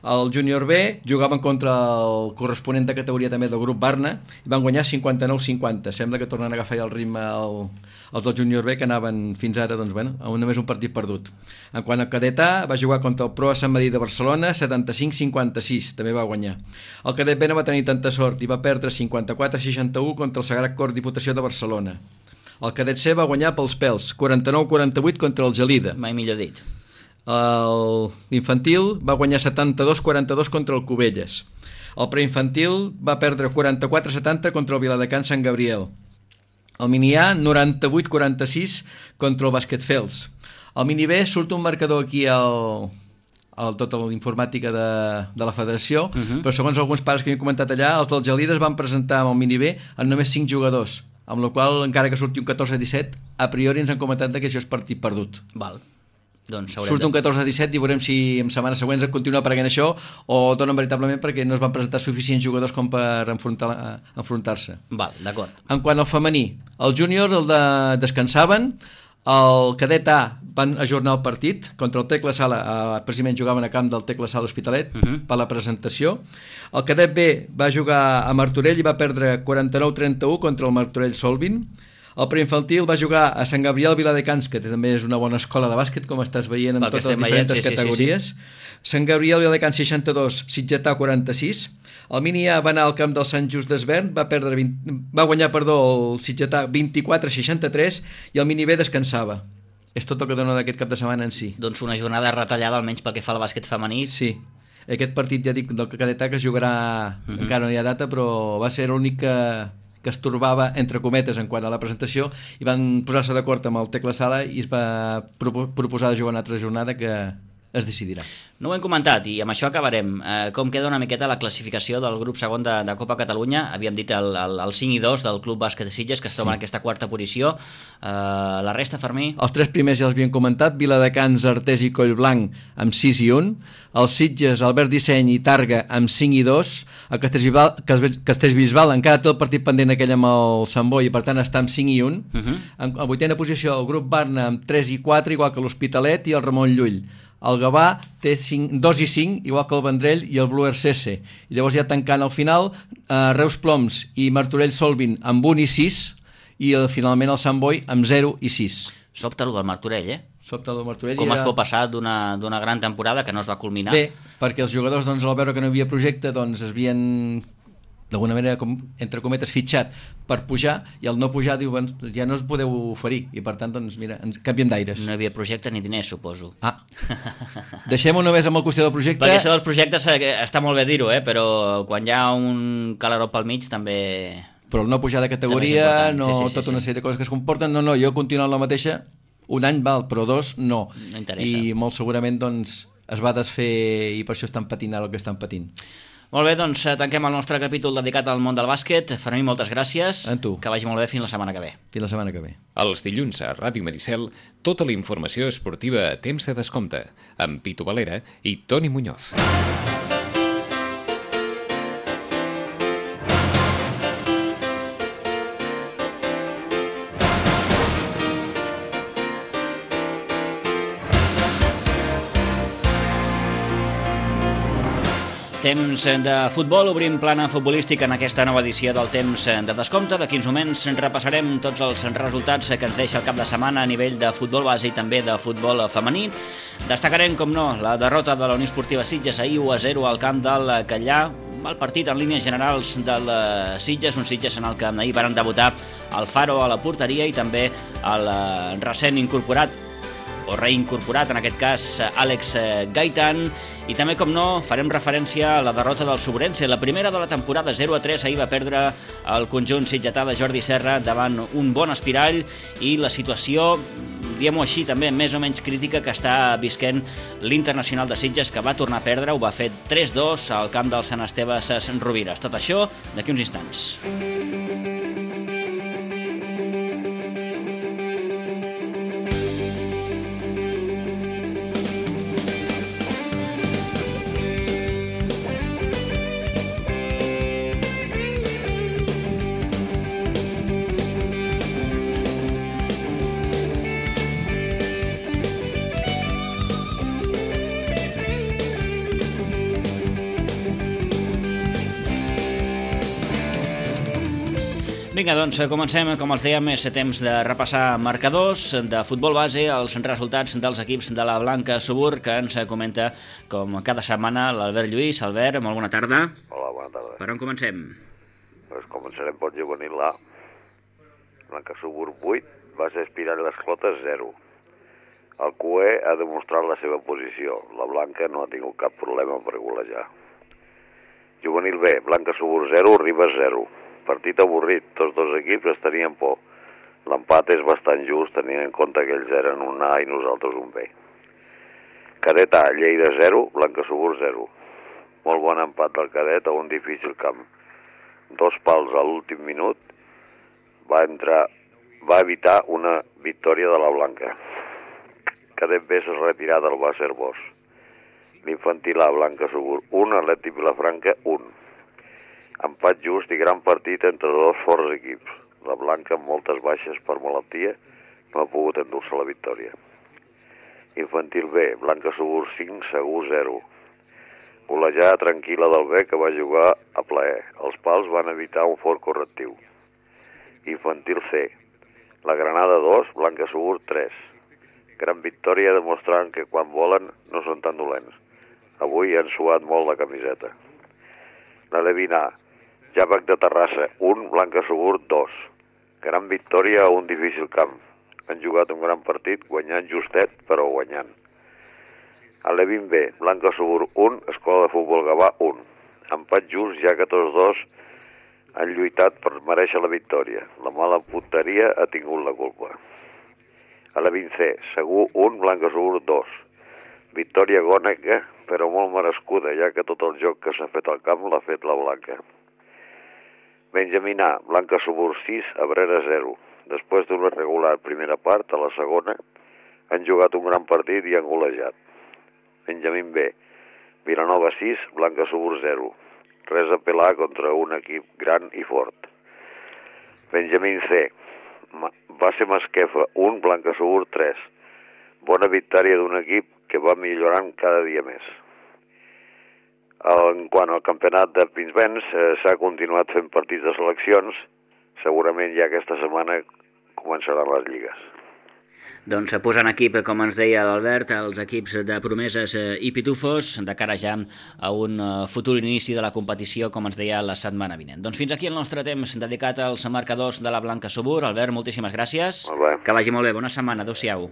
El Júnior B jugaven contra el corresponent de categoria també del grup Barna i van guanyar 59-50. Sembla que tornen a agafar el ritme els del Júnior B, que anaven fins ara doncs, bueno, amb només un partit perdut. En quant al cadet A, va jugar contra el Proa Sant Madí de Barcelona 75-56, també va guanyar. El cadet B no va tenir tanta sort i va perdre 54-61 contra el Sagrat Cor Diputació de Barcelona. El cadet C va guanyar pels pèls, 49-48 contra el Gelida. Mai millor dit. L'infantil va guanyar 72-42 contra el Cubelles. El preinfantil va perdre 44-70 contra el Viladecans Sant Gabriel. El mini A, 98-46 contra el Basquetfels. El mini B surt un marcador aquí tota l'informàtica de la federació, però segons alguns pares que m'he comentat allà, els del Gelida es van presentar amb el mini B amb només 5 jugadors, amb la qual cosa, encara que surti un 14-17, a priori ens han comentat que això és partit perdut. Val. Doncs surt un 14-17 i veurem si en setmanes següents continua apareguent això o donen veritablement perquè no es van presentar suficients jugadors com per enfrontar-se. Val, d'acord. En quant al femení, el júnior descansaven, el cadet A van ajornar el partit contra el Tecla Sala, precisament jugaven a camp del Tecla Sala Hospitalet per la presentació. El cadet B va jugar a Martorell i va perdre 49-31 contra el Martorell Solvin. El preinfantil va jugar a Sant Gabriel Viladecans, que també és una bona escola de bàsquet, com estàs veient en totes les diferents categories. Sant Gabriel Viladecans 62, Sitgetà 46. El mini A va anar al camp del Sant Just d'Esvern, va guanyar el Sitgetà 24-63 i el mini B descansava. És tot el que dona d'aquest cap de setmana en si. Doncs una jornada retallada, almenys pel que fa al bàsquet femení. Sí. Aquest partit, ja dic, del cadet A que es jugarà, encara no hi ha data, però va ser l'únic que es torbava, entre cometes, en quant a la presentació, i van posar-se d'acord amb el Tecla Sala i es va proposar de jugar una altra jornada que es decidirà. No ho hem comentat i amb això acabarem. Com queda una miqueta la classificació del grup segon de Copa Catalunya? Havíem dit el 5 i 2 del Club Bàsquet de Sitges, que es troba en aquesta quarta posició. La resta, Fermí? Els tres primers ja els havíem comentat, Viladecans, Artés i Collblanc amb 6 i 1, els Sitges, Albert Disseny i Targa amb 5 i 2, el Castellbisbal encara té el partit pendent aquell amb el Sant Boi i per tant està amb 5 i 1. En vuitena posició el grup Barna amb 3 i 4, igual que l'Hospitalet i el Ramon Llull. El Gavà té 2 i 5, igual que el Vendrell i el Blue RCS. I llavors ja tancant al final, Reus Ploms i Martorell Solvin amb 1 i 6 i finalment el Sant Boi amb 0 i 6. Sobta el del Martorell, Sobta el del Martorell. Com es pot passar d'una gran temporada que no es va culminar? Bé, perquè els jugadors, doncs, al veure que no hi havia projecte, doncs es havien d'alguna manera, entre cometes, fitxat per pujar, i al no pujar diu, ja no us podeu oferir, i per tant, doncs, mira, ens canviem d'aires. No hi havia projecte ni diners, suposo. Deixem-ho només amb el qüestió del projecte. Perquè això dels projectes està molt bé dir-ho, però quan hi ha un calaró pel mig també... Però el no pujar de categoria, tota una sèrie de coses que es comporten, no, jo continuo en la mateixa, un any val, però 2 no. No interessa. I molt segurament, doncs, es va desfer i per això estan patint el que estan patint. Molt bé, doncs tanquem el nostre capítol dedicat al món del bàsquet. Fermí, moltes gràcies. A tu. Que vagi molt bé fins la setmana que ve. Fins la setmana que ve. Els dilluns a Ràdio Maricel, tota la informació esportiva a temps de descompte, amb Pitu Valera i Toni Muñoz. Temps de futbol, obrim plana futbolística en aquesta nova edició del Temps de Descompte. D'aquí uns moments repassarem tots els resultats que ens deixa el cap de setmana a nivell de futbol base i també de futbol femení. Destacarem, com no, la derrota de la Unió Esportiva Sitges ahir 1-0 al camp del Catllà. Mal partit en línies generals del Sitges, un Sitges en el que ahir van debutar el Faro a la porteria i també el recent incorporat o reincorporat, en aquest cas, Àlex Gaitan. I també, com no, farem referència a la derrota del Sobrense, la primera de la temporada, 0-3. Ahir va perdre el conjunt sitgetà de Jordi Serra davant un bon Espirall i la situació, diguem-ho així, també més o menys crítica que està visquent l'Internacional de Sitges, que va tornar a perdre, ho va fer 3-2 al camp del Sant Esteve Sant Rovires. Tot això d'aquí uns instants. Vinga, doncs comencem, com els dèiem, és temps de repassar marcadors de futbol base, els resultats dels equips de la Blanca Subur, que ens comenta, com cada setmana, l'Albert Lluís. Albert, molt bona tarda. Hola, bona tarda. Per on comencem? Pues començarem pel juvenil A. Blanca Subur 8, base Espirall les Clotes 0. El CUE ha demostrat la seva posició. La Blanca no ha tingut cap problema per golejar. Juvenil B, Blanca Subur 0, Ribes 0. Partit avorrit, tots dos equips es tenien por. L'empat és bastant just, tenint en compte que ells eren un A i nosaltres un B. Cadet A, Lleida 0, Blanca Subur 0. Molt bon empat del cadet a un difícil camp. 2 pals a l'últim minut va evitar una victòria de la Blanca. Cadet B s'ha retirat del Bàcer Bosch. L'infantil A, Blanca Subur 1, Atlètic Vilafranca 1. Empat just i gran partit entre dos forts equips. La Blanca, amb moltes baixes per malaltia, no ha pogut endur-se la victòria. Infantil B, Blanca Subur 5, Segur 0. Golejada tranquil·la del B, que va jugar a plaer. Els pals van evitar un fort correctiu. Infantil C, la Granada 2, Blanca Subur 3. Gran victòria demostrant que quan volen no són tan dolents. Avui han suat molt la camiseta. La Levina, Javac de Terrassa 1, Blanca Subur 2. Gran victòria a un difícil camp. Han jugat un gran partit, guanyant justet, però guanyant. A Levin B, Blanca Subur 1, Escola de Futbol Gavà 1. Empat just, ja que tots dos han lluitat per mereixer la victòria. La mala punteria ha tingut la culpa. A la 20C, Segur 1, Blanca Segur 2. Victòria agònica, però molt merescuda, ja que tot el joc que s'ha fet al camp l'ha fet la Blanca. Benjamín A, Blanca Segur 6, Abrera 0. Després d'una regular primera part, a la segona, han jugat un gran partit i han golejat. Benjamín B, Vilanova 6, Blanca Segur 0. Res a pelar contra un equip gran i fort. Benjamín C, Base Masquefa 1, Blanca Segur 3. Bona victòria d'un equip que va millorant cada dia més. En quant al campionat de Pinsbens, s'ha continuat fent partits de seleccions. Segurament ja aquesta setmana començaran les lligues. Doncs posant equip, com ens deia l'Albert, els equips de promeses i pitufos de cara ja a un futur inici de la competició, com ens deia, la setmana vinent. Doncs fins aquí el nostre temps dedicat als marcadors de la Blanca Subur. Albert, moltíssimes gràcies. Molt bé. Que vagi molt bé. Bona setmana. Adéu-siau.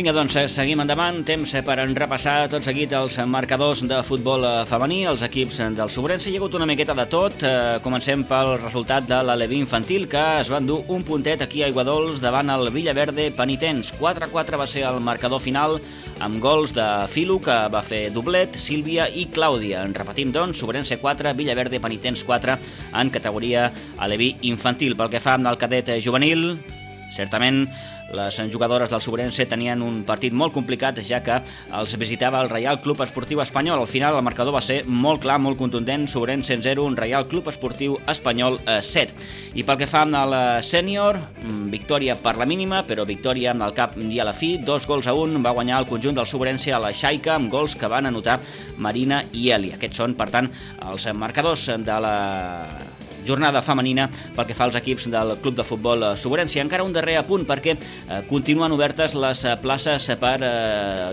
Vinga, doncs, seguim endavant. Temps per repassar tot seguit els marcadors de futbol femení, els equips del Sobrense. Hi ha hagut una miqueta de tot. Comencem pel resultat de l'Aleví infantil, que es va endur un puntet aquí a Aiguadols davant el Villaverde Penitents. 4-4 va ser el marcador final, amb gols de Filo, que va fer doblet, Sílvia i Clàudia. En repetim, doncs, Sobrense 4, Villaverde Penitents 4 en categoria Aleví infantil. Pel que fa al cadet juvenil, certament les jugadores del Sobrense tenien un partit molt complicat, ja que els visitava el Reial Club Esportiu Espanyol. Al final el marcador va ser molt clar, molt contundent, Sobrense 0, Reial Club Esportiu Espanyol 7. I pel que fa al sènior, victòria per la mínima, però victòria amb el cap i a la fi, 2-1 va guanyar el conjunt del Sobrense a la Xaica, amb gols que van anotar Marina i Eli. Aquests són, per tant, els marcadors de la jornada femenina pel que fa als equips del Club de Futbol Sobrense. Encara un darrer apunt, perquè continuen obertes les places per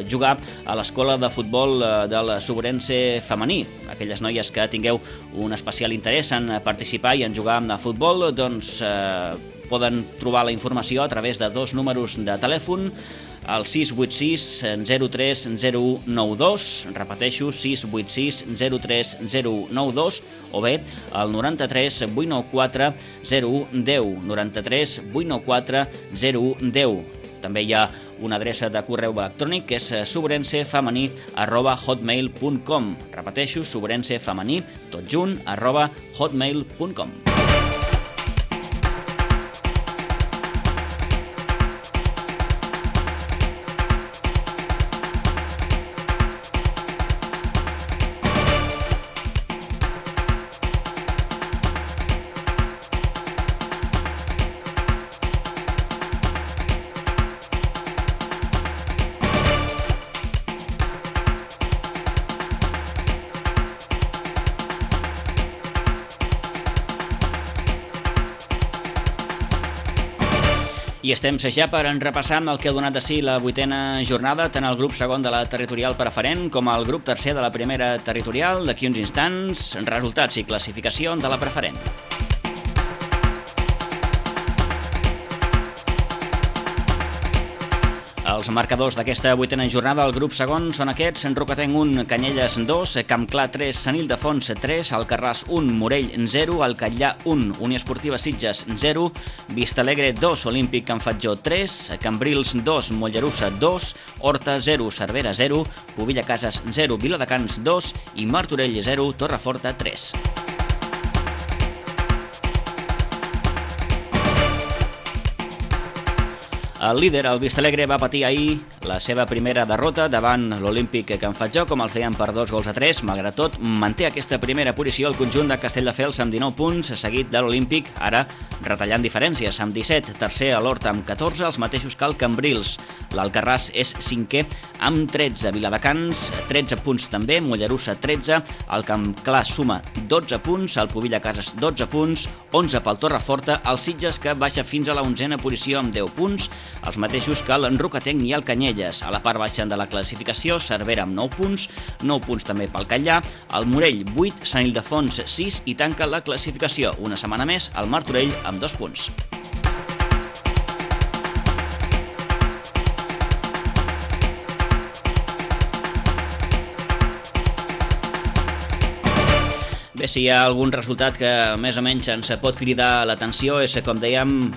jugar a l'escola de futbol del Sobrense femení. Aquelles noies que tingueu un especial interès en participar i en jugar a futbol, doncs poden trobar la informació a través de dos números de telèfon, el 686 03 0192, repeteixo, 686 03 0192, o bé el 93 894 0110, 93 894 0110. També hi ha una adreça de correu electrònic que és sobrensefemení@hotmail.com. Repeteixo, sobrensefemení, tot junt, @hotmail.com. I estem ja per repassar el que ha donat de si la 8a jornada, tant el grup segon de la territorial preferent com el grup tercer de la primera territorial. D'aquí uns instants, resultats i classificació de la preferent. Els marcadors d'aquesta 8a jornada al grup segon són aquests: Rocatenc 1, Canyelles 2, Campclar 3, Sant Ildefons 3, Alcarràs 1, Morell 0, Alcatllà 1, Unió Esportiva Sitges 0, Vistalegre 2, Olímpic Can Fatjó 3, Cambrils 2, Mollerussa 2, Horta 0, Cervera 0, Pobilla Cases 0, Viladecans 2 i Martorell 0, Torreforta 3. El líder, el Vistalegre, va patir ahir la seva primera derrota davant l'Olímpic Can Fatjó, com el feien per 2-3. Malgrat tot, manté aquesta primera posició el conjunt de Castelldefels amb 19 punts, seguit de l'Olímpic, ara retallant diferències, amb 17, tercer a l'Horta amb 14, els mateixos que el Cambrils. L'Alcarràs és cinquè amb 13, Viladecans 13 punts també, Mollerussa 13, el Camp Clar suma 12 punts, el Pubilla Cases 12 punts, 11 pel Torreforta, el Sitges que baixa fins a la 11a posició amb 10 punts, els mateixos que el Rocatenc i el Canyelles. A la part baixa de la classificació, Cervera amb 9 punts també pel Catllà, el Morell 8, Sant Ildefons 6 i tanca la classificació una setmana més el Martorell amb 2 punts. Bé, si hi ha algun resultat que més o menys ens pot cridar l'atenció és, com dèiem,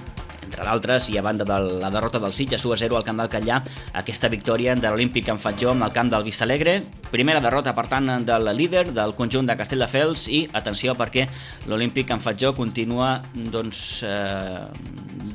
entre d'altres, i a banda de la derrota del Sitges 1-0 al camp del Catllà, aquesta victòria de l'Olímpic Can Fatjó amb el camp del Vistalegre. Primera derrota, per tant, del líder del conjunt de Castelldefels i, atenció, perquè l'Olímpic Can Fatjó continua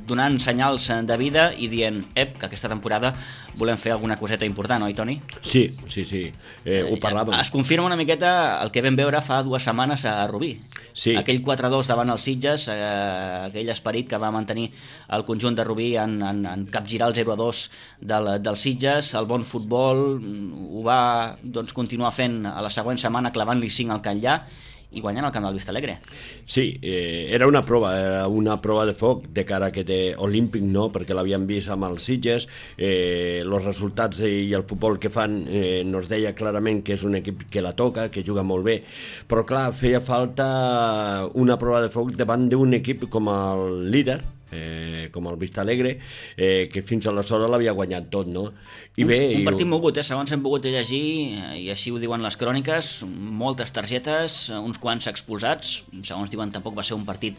donant senyals de vida i dient que aquesta temporada volem fer alguna coseta important, oi, Toni? Sí. Ho parlàvem. Es confirma una miqueta el que vam veure fa 2 setmanes a Rubí. Sí. Aquell 4-2 davant els Sitges, aquell esperit que va mantenir el conjunt de Rubí en capgirar el 0-2 del Sitges, el bon futbol, ho va continuar fent a la següent setmana clavant-li 5 al Catllà i guanyant el camp del Vistalegre. Sí, era una prova de foc de cara a aquest Olímpic, no? Perquè l'havíem vist amb els Sitges, els resultats i el futbol que fan nos deia clarament que és un equip que la toca, que juga molt bé, però clar, feia falta una prova de foc davant d'un equip com el líder, com el Vistalegre, que fins aleshores l'havia guanyat tot, no? I bé, un partit mogut, segons hem pogut llegir, i així ho diuen les cròniques, moltes targetes, uns quants expulsats, segons diuen tampoc va ser un partit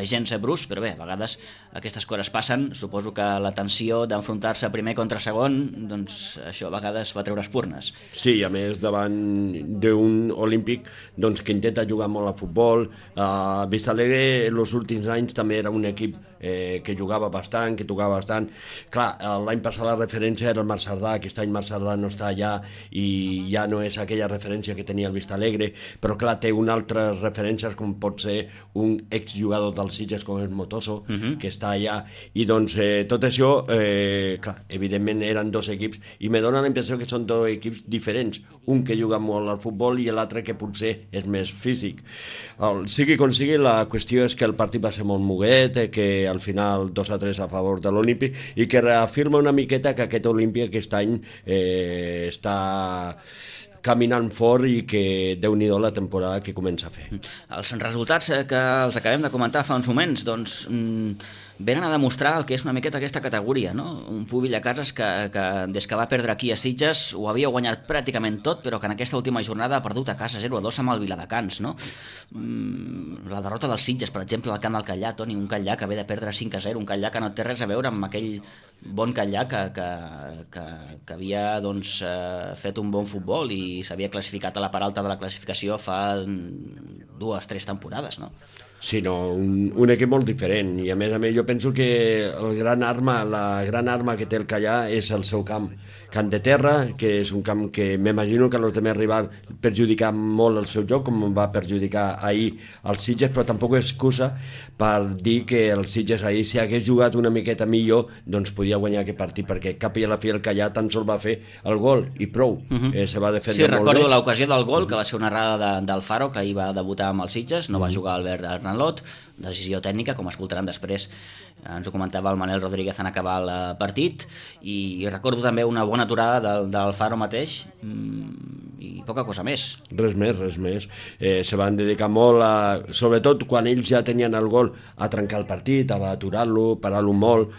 gens brusc, però bé, a vegades aquestes coses passen. Suposo que la tensió d'enfrontar-se primer contra segon, doncs això a vegades va treure espurnes. Sí, a més davant d'un Olímpic que intenta jugar molt a futbol. Vistalegre els últims anys també era un equip que jugava bastant, que tocava bastant. Clar, l'any passat la referència era el Marc Cerdà, aquest any Marc Cerdà no està allà i ja no és aquella referència que tenia el Vistalegre, però clar, té unes altres referències com pot ser un exjugador dels Sitges com és Motoso, que està allà, i doncs tot això, clar, evidentment eren 2 equips, i me dóna la impressió que són 2 equips diferents, un que juga molt al futbol i l'altre que potser és més físic. Sigui com sigui, la qüestió és que el partit va ser molt moguet, que al final 2-3 a favor de l'Olímpic, i que reafirma una miqueta que aquest Olímpic aquest any està caminant fort i que Déu-n'hi-do la temporada que comença a fer. Els resultats que els acabem de comentar fa uns moments, doncs venen a demostrar el que és una miqueta aquesta categoria, no? Un Pubilla Cases que des que va perdre aquí a Sitges ho havia guanyat pràcticament tot, però que en aquesta última jornada ha perdut a casa 0-2 amb el Viladecans, no? La derrota dels Sitges, per exemple, al camp del Catllà, Toni, un Catllà que ve de perdre 5-0, un Catllà que no té res a veure amb aquell bon Catllà que havia fet un bon futbol i s'havia classificat a la part alta de la classificació fa 2-3 temporades, no? Sí, no, un equip molt diferent, i a més jo penso que la gran arma que té el Catllà és el seu camp de terra, que és un camp que m'imagino que els demés rivals perjudicar molt el seu joc, com va perjudicar ahir els Sitges, però tampoc és excusa per dir que els Sitges ahir, si hagués jugat una miqueta millor, doncs podia guanyar aquest partit, perquè cap i a la fi el Catllà tan sols va fer el gol i prou. Se va defendre molt bé. Sí, recordo l'ocasió del gol, que va ser una errada d'Alfaro, que ahir va debutar amb els Sitges, no va jugar Albert Arnalot, decisió tècnica, com escoltaran després. Ens ho comentava el Manel Rodríguez en acabar el partit, i recordo també una bona aturada d'Alfaro mateix, i poca cosa més. Res més. Se van dedicar molt, sobretot quan ells ja tenien el gol, a trencar el partit, a aturar-lo, parar-lo molt.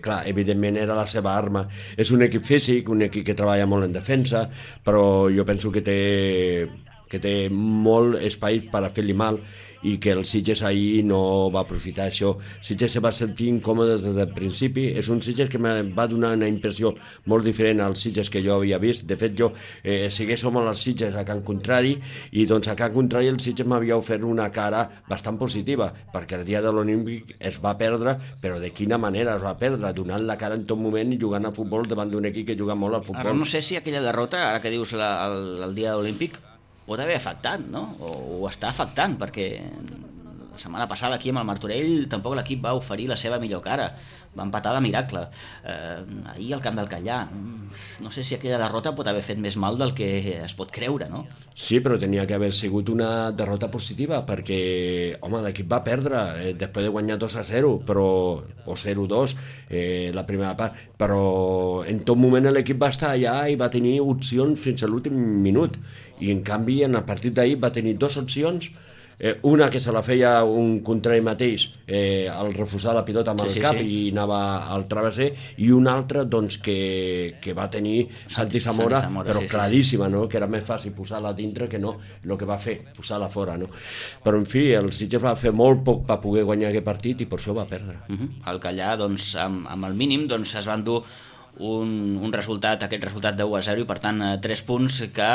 Clar, evidentment era la seva arma. És un equip físic, un equip que treballa molt en defensa, però jo penso que té molt espai per a fer-li mal, i que el Sitges ahir no va aprofitar això. Sitges se va sentir incòmode des del principi, és un Sitges que em va donar una impressió molt diferent als Sitges que jo havia vist. De fet, jo segueix som als Sitges a Can Contrari, i doncs a Can Contrari el Sitges m'havia ofert una cara bastant positiva, perquè el dia de l'Olímpic es va perdre, però de quina manera es va perdre, donant la cara en tot moment i jugant a futbol davant d'un equip que juga molt al futbol. Ara no sé si aquella derrota, ara que dius el dia olímpic, pot haver afectat, no? O està afectant, perquè la setmana passada aquí amb el Martorell tampoc l'equip va oferir la seva millor cara, va empatar de miracle. Ahir al camp del Callà, no sé si aquella derrota pot haver fet més mal del que es pot creure, no? Sí, però tenia que haver sigut una derrota positiva, perquè, home, l'equip va perdre després de guanyar 2-0, o 0-2 la primera part, però en tot moment l'equip va estar allà i va tenir opcions fins a l'últim minut, i en canvi en el partit d'ahir va tenir dues opcions, una que se la feia un contrari mateix al refusar la pilota amb el cap i anava al travesser, i una altra doncs, que va tenir Santi Zamora, però claríssima, no? Que era més fàcil posar-la dintre que no el que va fer, posar-la fora, no? Però en fi, el Sitges va fer molt poc per poder guanyar aquest partit i per això va perdre. El Callà, doncs, amb el mínim doncs, es van dur un resultat, aquest resultat de 1-0, i per tant 3 punts que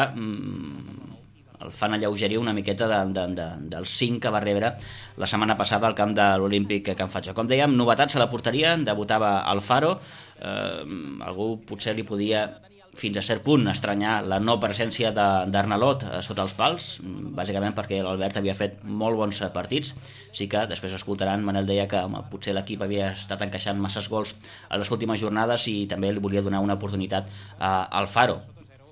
el fan alleugerir una miqueta dels 5 que va rebre la setmana passada al camp de l'Olímpic Can Fatxó. Com dèiem, novetats a la porteria, debutava Alfaro, algú potser li podia fins a cert punt estranyar la no presència d'Arnalot sota els pals, bàsicament perquè l'Albert havia fet molt bons partits. Sí que després escoltaran, Manel deia que potser l'equip havia estat encaixant masses gols a les últimes jornades i també li volia donar una oportunitat a Alfaro.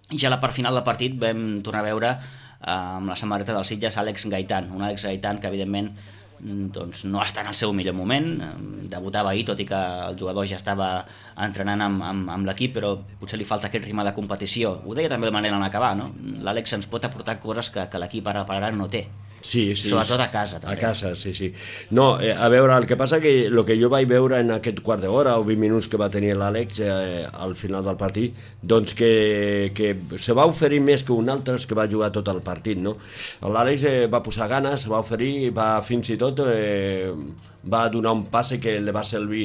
I ja a la part final del partit vam tornar a veure amb la samarreta dels Sitges Àlex Gaitán, un Àlex Gaitán que evidentment doncs, no està en el seu millor moment, debutava ahir, tot i que el jugador ja estava entrenant amb l'equip, però potser li falta aquest ritme de competició. Ho deia també el Manel en acabar, no? L'Àlex ens pot aportar coses que l'equip ara per ara no té. Sí, sobretot a casa també. A casa, sí. No, a veure, el que passa que el que jo vaig veure en aquest quart d'hora o 20 minuts que va tenir l'Àlex al final del partit, doncs que se va oferir més que un altre que va jugar tot el partit, no? L'Àlex va posar ganes, va oferir, va fins i tot va donar un passe que li va servir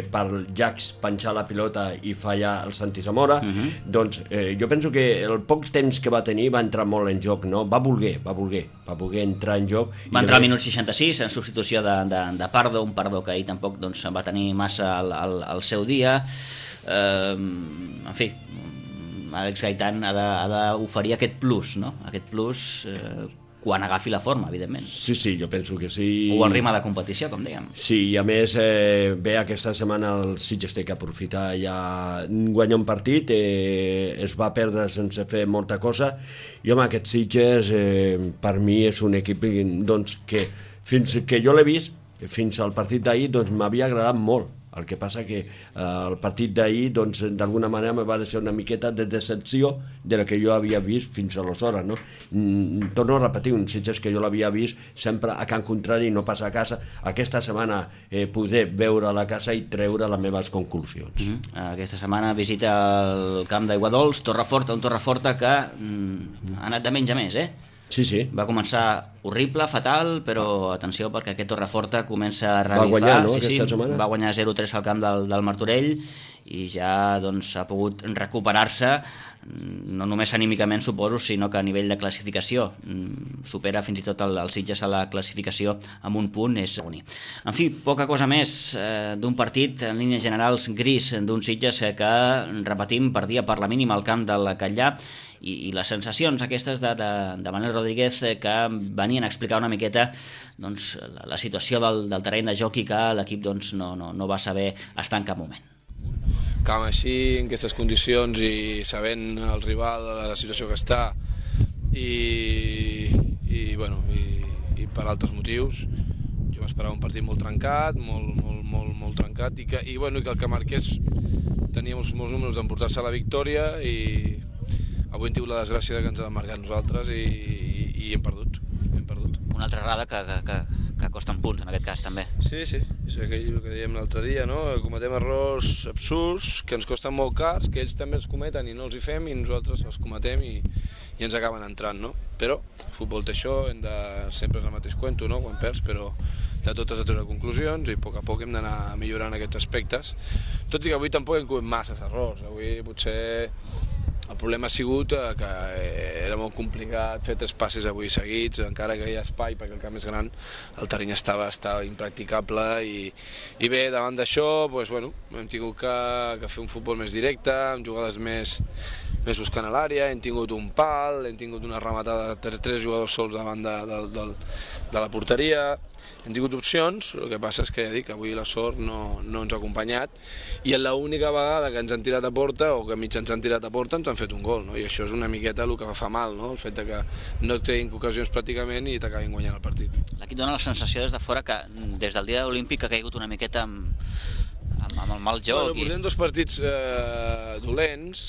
per Jax penjar la pilota i fallar el Santi Zamora. Doncs jo penso que el poc temps que va tenir va entrar molt en joc, no? Va voler entrar en joc. Va entrar al minut 66 en substitució de Pardo, un Pardo que ahir tampoc doncs, va tenir massa al seu dia. En fi, Àlex Gaitán ha d'oferir aquest plus, no? Aquest plus quan agafi la forma, evidentment. Sí, jo penso que sí. O el ritme de competició, com dèiem. Sí, i a més, bé, aquesta setmana el Sitges té que aprofitar ja guanyar un partit, es va perdre sense fer molta cosa, i home, aquest Sitges per mi és un equip doncs, que fins que jo l'he vist, fins al partit d'ahir, doncs m'havia agradat molt. El que passa que el partit d'ahir, doncs, d'alguna manera me va deixar una miqueta de decepció de la que jo havia vist fins aleshores, no? Torno a repetir, un Sitges que jo l'havia vist sempre a Can Contrari i no passa a casa. Aquesta setmana podré veure a la casa i treure les meves conclusions. Aquesta setmana visita el camp d'Aiguadols, Torreforta, un Torreforta que ha anat de menys a més, Sí. Va començar horrible, fatal, però atenció perquè aquest Torreforta comença a revifar. Va guanyar, no, aquesta setmana? Va guanyar 0-3 al camp del Martorell i ja doncs, ha pogut recuperar-se, no només anímicament suposo, sinó que a nivell de classificació supera fins i tot el Sitges a la classificació amb un punt, és únic. En fi, poca cosa més d'un partit en línies generals gris d'un Sitges que, repetim, perdia per la mínima al camp del Catllà, i les sensacions aquestes de Manel Rodríguez que venien a explicar una miqueta doncs, la situació del terreny de joc i que l'equip doncs, no va saber estar en cap moment. Camp així, en aquestes condicions i sabent el rival, la situació que està i per altres motius, jo m'esperava un partit molt trencat, molt trencat i que el que marqués tenia molts números d'emportar-se la victòria i avui hem tingut la desgràcia que ens han marcat nosaltres i hem perdut. Una altra errada que costen punts en aquest cas també. Sí, és aquell que dèiem l'altre dia, no? Cometem errors absurds que ens costen molt cars, que ells també els cometen i no els hi fem, i nosaltres els cometem i ens acaben entrant, no? Però el futbol té això, sempre és el mateix cuento, no? Quan perds, però de tot has de treure conclusions i a poc hem d'anar millorant aquests aspectes. Tot i que avui tampoc hem comès masses errors, avui potser el problema ha sigut que era molt complicat fer 3 passes avui seguits, encara que hi ha espai perquè el camp és gran, el terreny estava impracticable i bé, davant d'això hem tingut que fer un futbol més directe, amb jugades més buscant a l'àrea, hem tingut un pal, hem tingut una rematada de 3 jugadors sols davant de la porteria, hem tingut opcions, el que passa és que ja dic, avui la sort no ens ha acompanyat i l'única vegada que ens han tirat a porta o que mig ens han tirat a porta ens han fet un gol, no? I això és una miqueta el que fa mal, no? El fet que no tinguin ocasions pràcticament i t'acabin guanyant el partit. L'equip dona la sensació des de fora que des del dia olímpic ha caigut una miqueta amb el mal joc. Portem 2 partits dolents.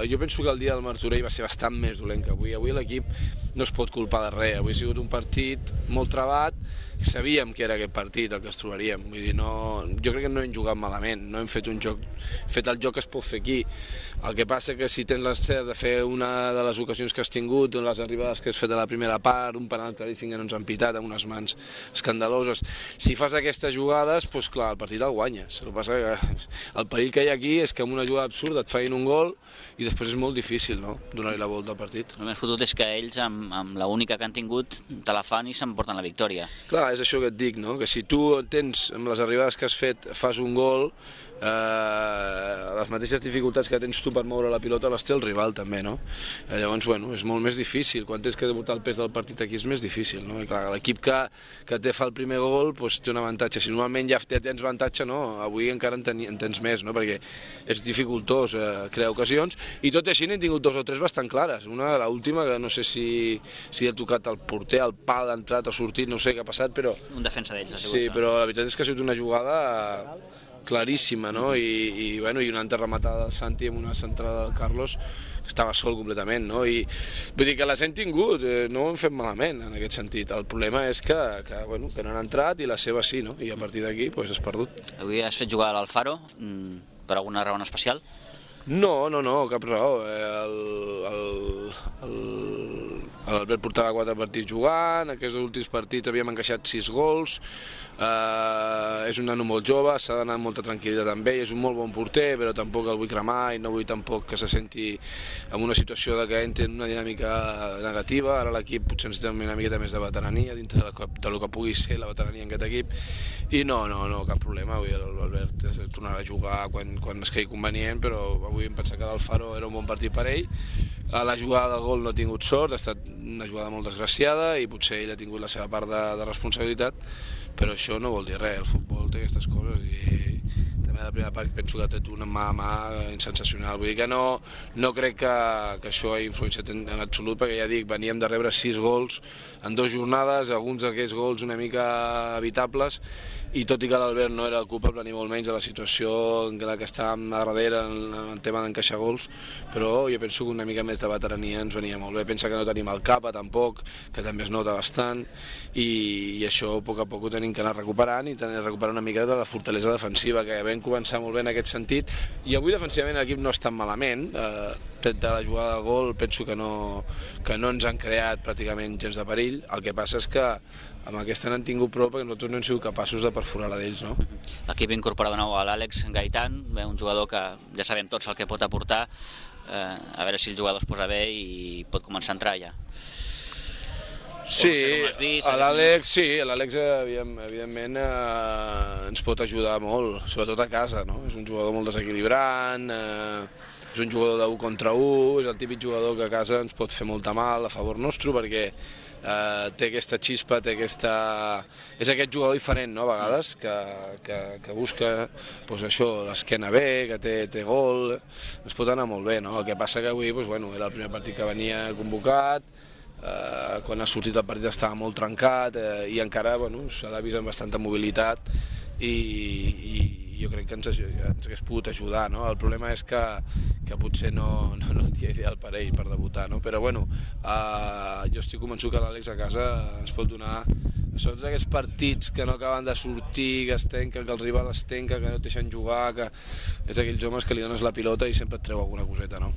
Jo penso que el dia del Martorell va ser bastant més dolent que avui. Avui l'equip no es pot culpar de res. Avui ha sigut un partit molt trebat. Sabíem que era aquest partit el que ens trobaríem. Vull dir, jo crec que no hem jugat malament, no hem fet un joc, fet el joc que es pot fer aquí. El que passa que si tens l'encert de fer una de les ocasions que has tingut, les arribades que has fet a la primera part, un penal claríssim que no ens han pitat amb unes mans escandaloses, si fas aquestes jugades, doncs clar, el partit el guanyes. El que passa que el perill que hi ha aquí és que amb una jugada absurda et feien un gol i després és molt difícil, no?, donar-hi la volta al partit. El més fotut és que ells, amb l'única que han tingut, te la fan i s'emporten la victòria. Clar, és això que et dic, no?, que si tu tens, amb les arribades que has fet, fas un gol, les mateixes dificultats que tens tu per moure la pilota les té el rival també, no? Llavors, és molt més difícil, quan tens que portar el pes del partit aquí és més difícil, no? I clar, l'equip que té fa el primer gol té un avantatge, si normalment ja tens avantatge, no? Avui encara en tens més, no? Perquè és dificultós crear ocasions, i tot i així n'hem tingut 2 o 3 bastant clares, l'última que no sé si ha tocat el porter, el pal ha entrat o sortit, no sé què ha passat, però... Un defensa d'ells ha sigut. Sí, però la veritat és que ha sigut una jugada claríssima, no? I una altra rematada del Santi amb una centrada del Carlos que estava sol completament, no? I vull dir que les hem tingut, no ho hem fet malament en aquest sentit. El problema és que no han entrat i la seva sí, no? I a partir d'aquí has perdut. Avui has fet jugar a l'Alfaro per alguna raó especial? No, cap raó. L'Albert portava 4 partits jugant, aquests últims partits havíem encaixat 6 gols, és un nano molt jove, s'ha d'anar amb molta tranquil·litat amb ell, és un molt bon porter, però tampoc el vull cremar i no vull tampoc que se senti en una situació de que entri en una dinàmica negativa. Ara l'equip potser ens té una miqueta més de veterania dintre del que pugui ser la veterania en aquest equip i no, cap problema. Avui l'Albert tornarà a jugar quan es quedi convenient, però avui em penso que l'Alfaro era un bon partit per ell. La jugada del gol no ha tingut sort, ha estat una jugada molt desgraciada i potser ell ha tingut la seva part de responsabilitat, però això no vol dir res, el futbol té aquestes coses i també la primera part penso que ha tret una mà a mà sensacional. Vull dir que no crec que això ha influenciat en absolut, perquè ja dic, veníem de rebre 6 gols en 2 jornades, alguns d'aquests gols una mica evitables, i tot i que l'Albert no era el culpable ni molt menys de la situació en la que estàvem a darrere en el tema d'encaixar gols, però jo penso que una mica més de veterania ens venia molt bé. Pensa que no tenim el Capa tampoc, que també es nota bastant, i això a poc ho tenim que anar recuperant i recuperar una mica de la fortalesa defensiva, que vam començar molt bé en aquest sentit, i avui defensivament l'equip no està malament, tret de la jugada de gol penso que no ens han creat pràcticament gens de perill. El que passa és que amb aquesta n'han tingut prou perquè nosaltres no hem sigut capaços de perforar la d'ells, no? L'equip incorpora de nou a l'Àlex Gaitan, un jugador que ja sabem tots el que pot aportar, a veure si el jugador es posa bé i pot començar a entrar ja. Sí, l'Àlex evidentment ens pot ajudar molt, sobretot a casa, no? És un jugador molt desequilibrant, és un jugador d'1 contra 1, és el típic jugador que a casa ens pot fer molta mal a favor nostre, perquè té aquesta xispa, és aquest jugador diferent, no?, a vegades, que busca això, l'esquena bé, que té gol, es pot anar molt bé, no? El que passa que avui era el primer partit que venia convocat, quan ha sortit el partit estava molt trencat i encara s'ha vist amb bastanta mobilitat i jo crec que ens hagués pogut ajudar, no? El problema és que potser no el dia ideal per ell per debutar, no? Però jo estic convençut que l'Àlex a casa ens pot donar Sobretot aquests partits que no acaben de sortir, que es tenquen, que el rival es tenca, que no et deixen jugar, que és aquells homes que li dones la pilota i sempre et treu alguna coseta, no?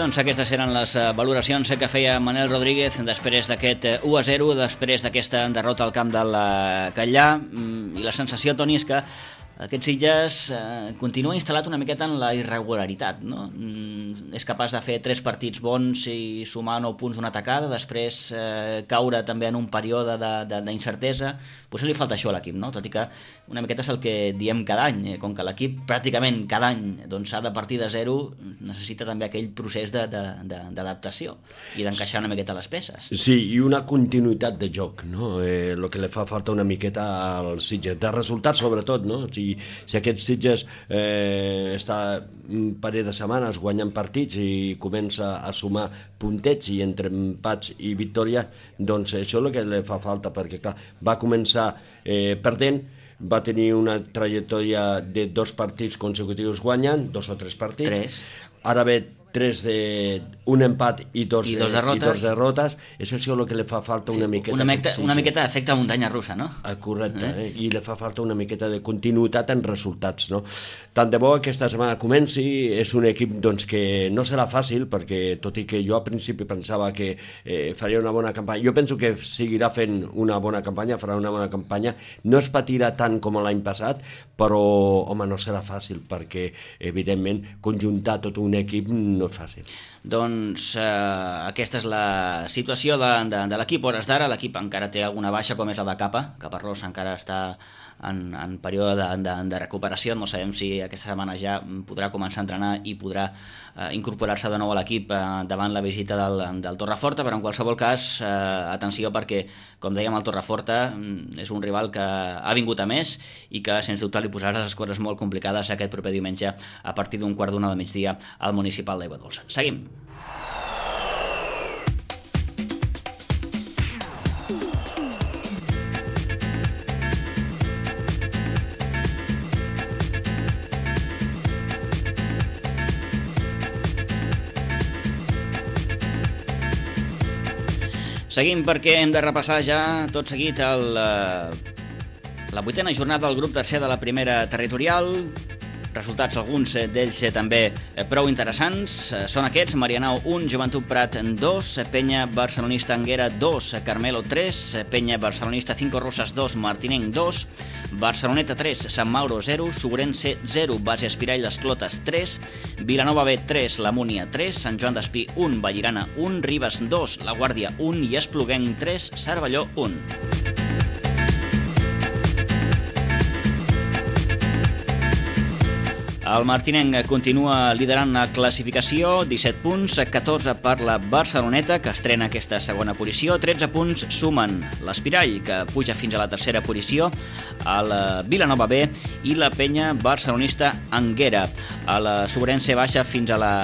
Doncs aquestes eren les valoracions que feia Manel Rodríguez després d'aquest 1-0, després d'aquesta derrota al camp del Catllà, i la sensació, Toni, és que aquest Sitges continua instal·lat una miqueta en la irregularitat, no? És capaç de fer 3 partits bons i sumar 9 punts d'una tacada, després caure també en un període d'incertesa. Potser li falta això a l'equip, no? Tot i que una miqueta és el que diem cada any, com que l'equip pràcticament cada any s'ha de partir de zero, necessita també aquell procés d'adaptació i d'encaixar una miqueta les peces. Sí, i una continuïtat de joc, no? El que li fa falta una miqueta al Sitges, de resultats sobretot, no? Si aquest Sitges està un parell de setmanes guanyant partits i comença a sumar puntets i entre empats i victòria, doncs això és el que li fa falta, perquè clar, va començar perdent, va tenir una trajectòria de 2 partits consecutius guanyant, 2 o 3 partits, ara ve 3 un empat i dos derrotes. És això el que li fa falta una miqueta. Una miqueta d'efecte muntanya russa, no? Correcte, i li fa falta una miqueta de continuïtat en resultats, no? Tant de bo aquesta setmana comenci, és un equip doncs, que no serà fàcil, perquè tot i que jo al principi pensava que faria una bona campanya, jo penso que seguirà fent una bona campanya, farà una bona campanya, no es patirà tant com l'any passat, però home, no serà fàcil, perquè evidentment conjuntar tot un equip no és fàcil. Doncs aquesta és la situació de l'equip. A hores d'ara l'equip encara té alguna baixa, com és la de Caparrós encara està en període de recuperació. No sabem si aquesta setmana ja podrà començar a entrenar i podrà incorporar-se de nou a l'equip davant la visita del Torreforta, però en qualsevol cas atenció, perquè com dèiem, el Torreforta és un rival que ha vingut a més i que sens dubte li posarà les coses molt complicades aquest proper diumenge a partir d'un 1:15 del migdia al Municipal d'Aiguadols. Seguim. Seguim, perquè hem de repassar ja tot seguit la 8a jornada del grup tercer de la primera territorial. Resultats, alguns d'ells també prou interessants. Són aquests: Marianao 1, Joventut Prat 2, Penya Barcelonista Anguera 2, Carmelo 3, Penya Barcelonista 5 Roses 2, Martinenc 2, Barceloneta 3, Sant Mauro 0, Suburense 0, Base Espirall Les Clotes 3, Vilanova B 3, La Múnia 3, Sant Joan d'Espí 1, Vallirana 1, Ribes 2, La Guàrdia 1 i Espluguenc 3, Cervelló 1. El Martinenc continua liderant la classificació, 17 punts, 14 per la Barceloneta, que estrena aquesta segona posició, 13 punts sumen l'Espirall, que puja fins a la tercera posició, el Vilanova B i la Penya Barcelonista Anguera. El Suburense baixa fins a la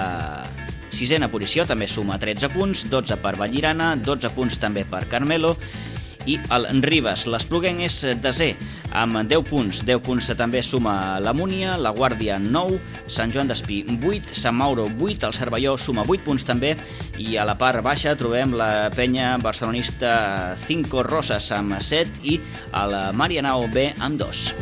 6a posició, també suma 13 punts, 12 per Vallirana, 12 punts també per Carmelo, i el Ribes. L'Espluguenc és desè amb 10 punts. 10 punts també suma la Múnia, la Guàrdia 9, Sant Joan d'Espí 8, Sant Mauro 8, el Cervelló suma 8 punts també, i a la part baixa trobem la Penya Barcelonista 5 Roses amb 7 i el Marianao B amb 2.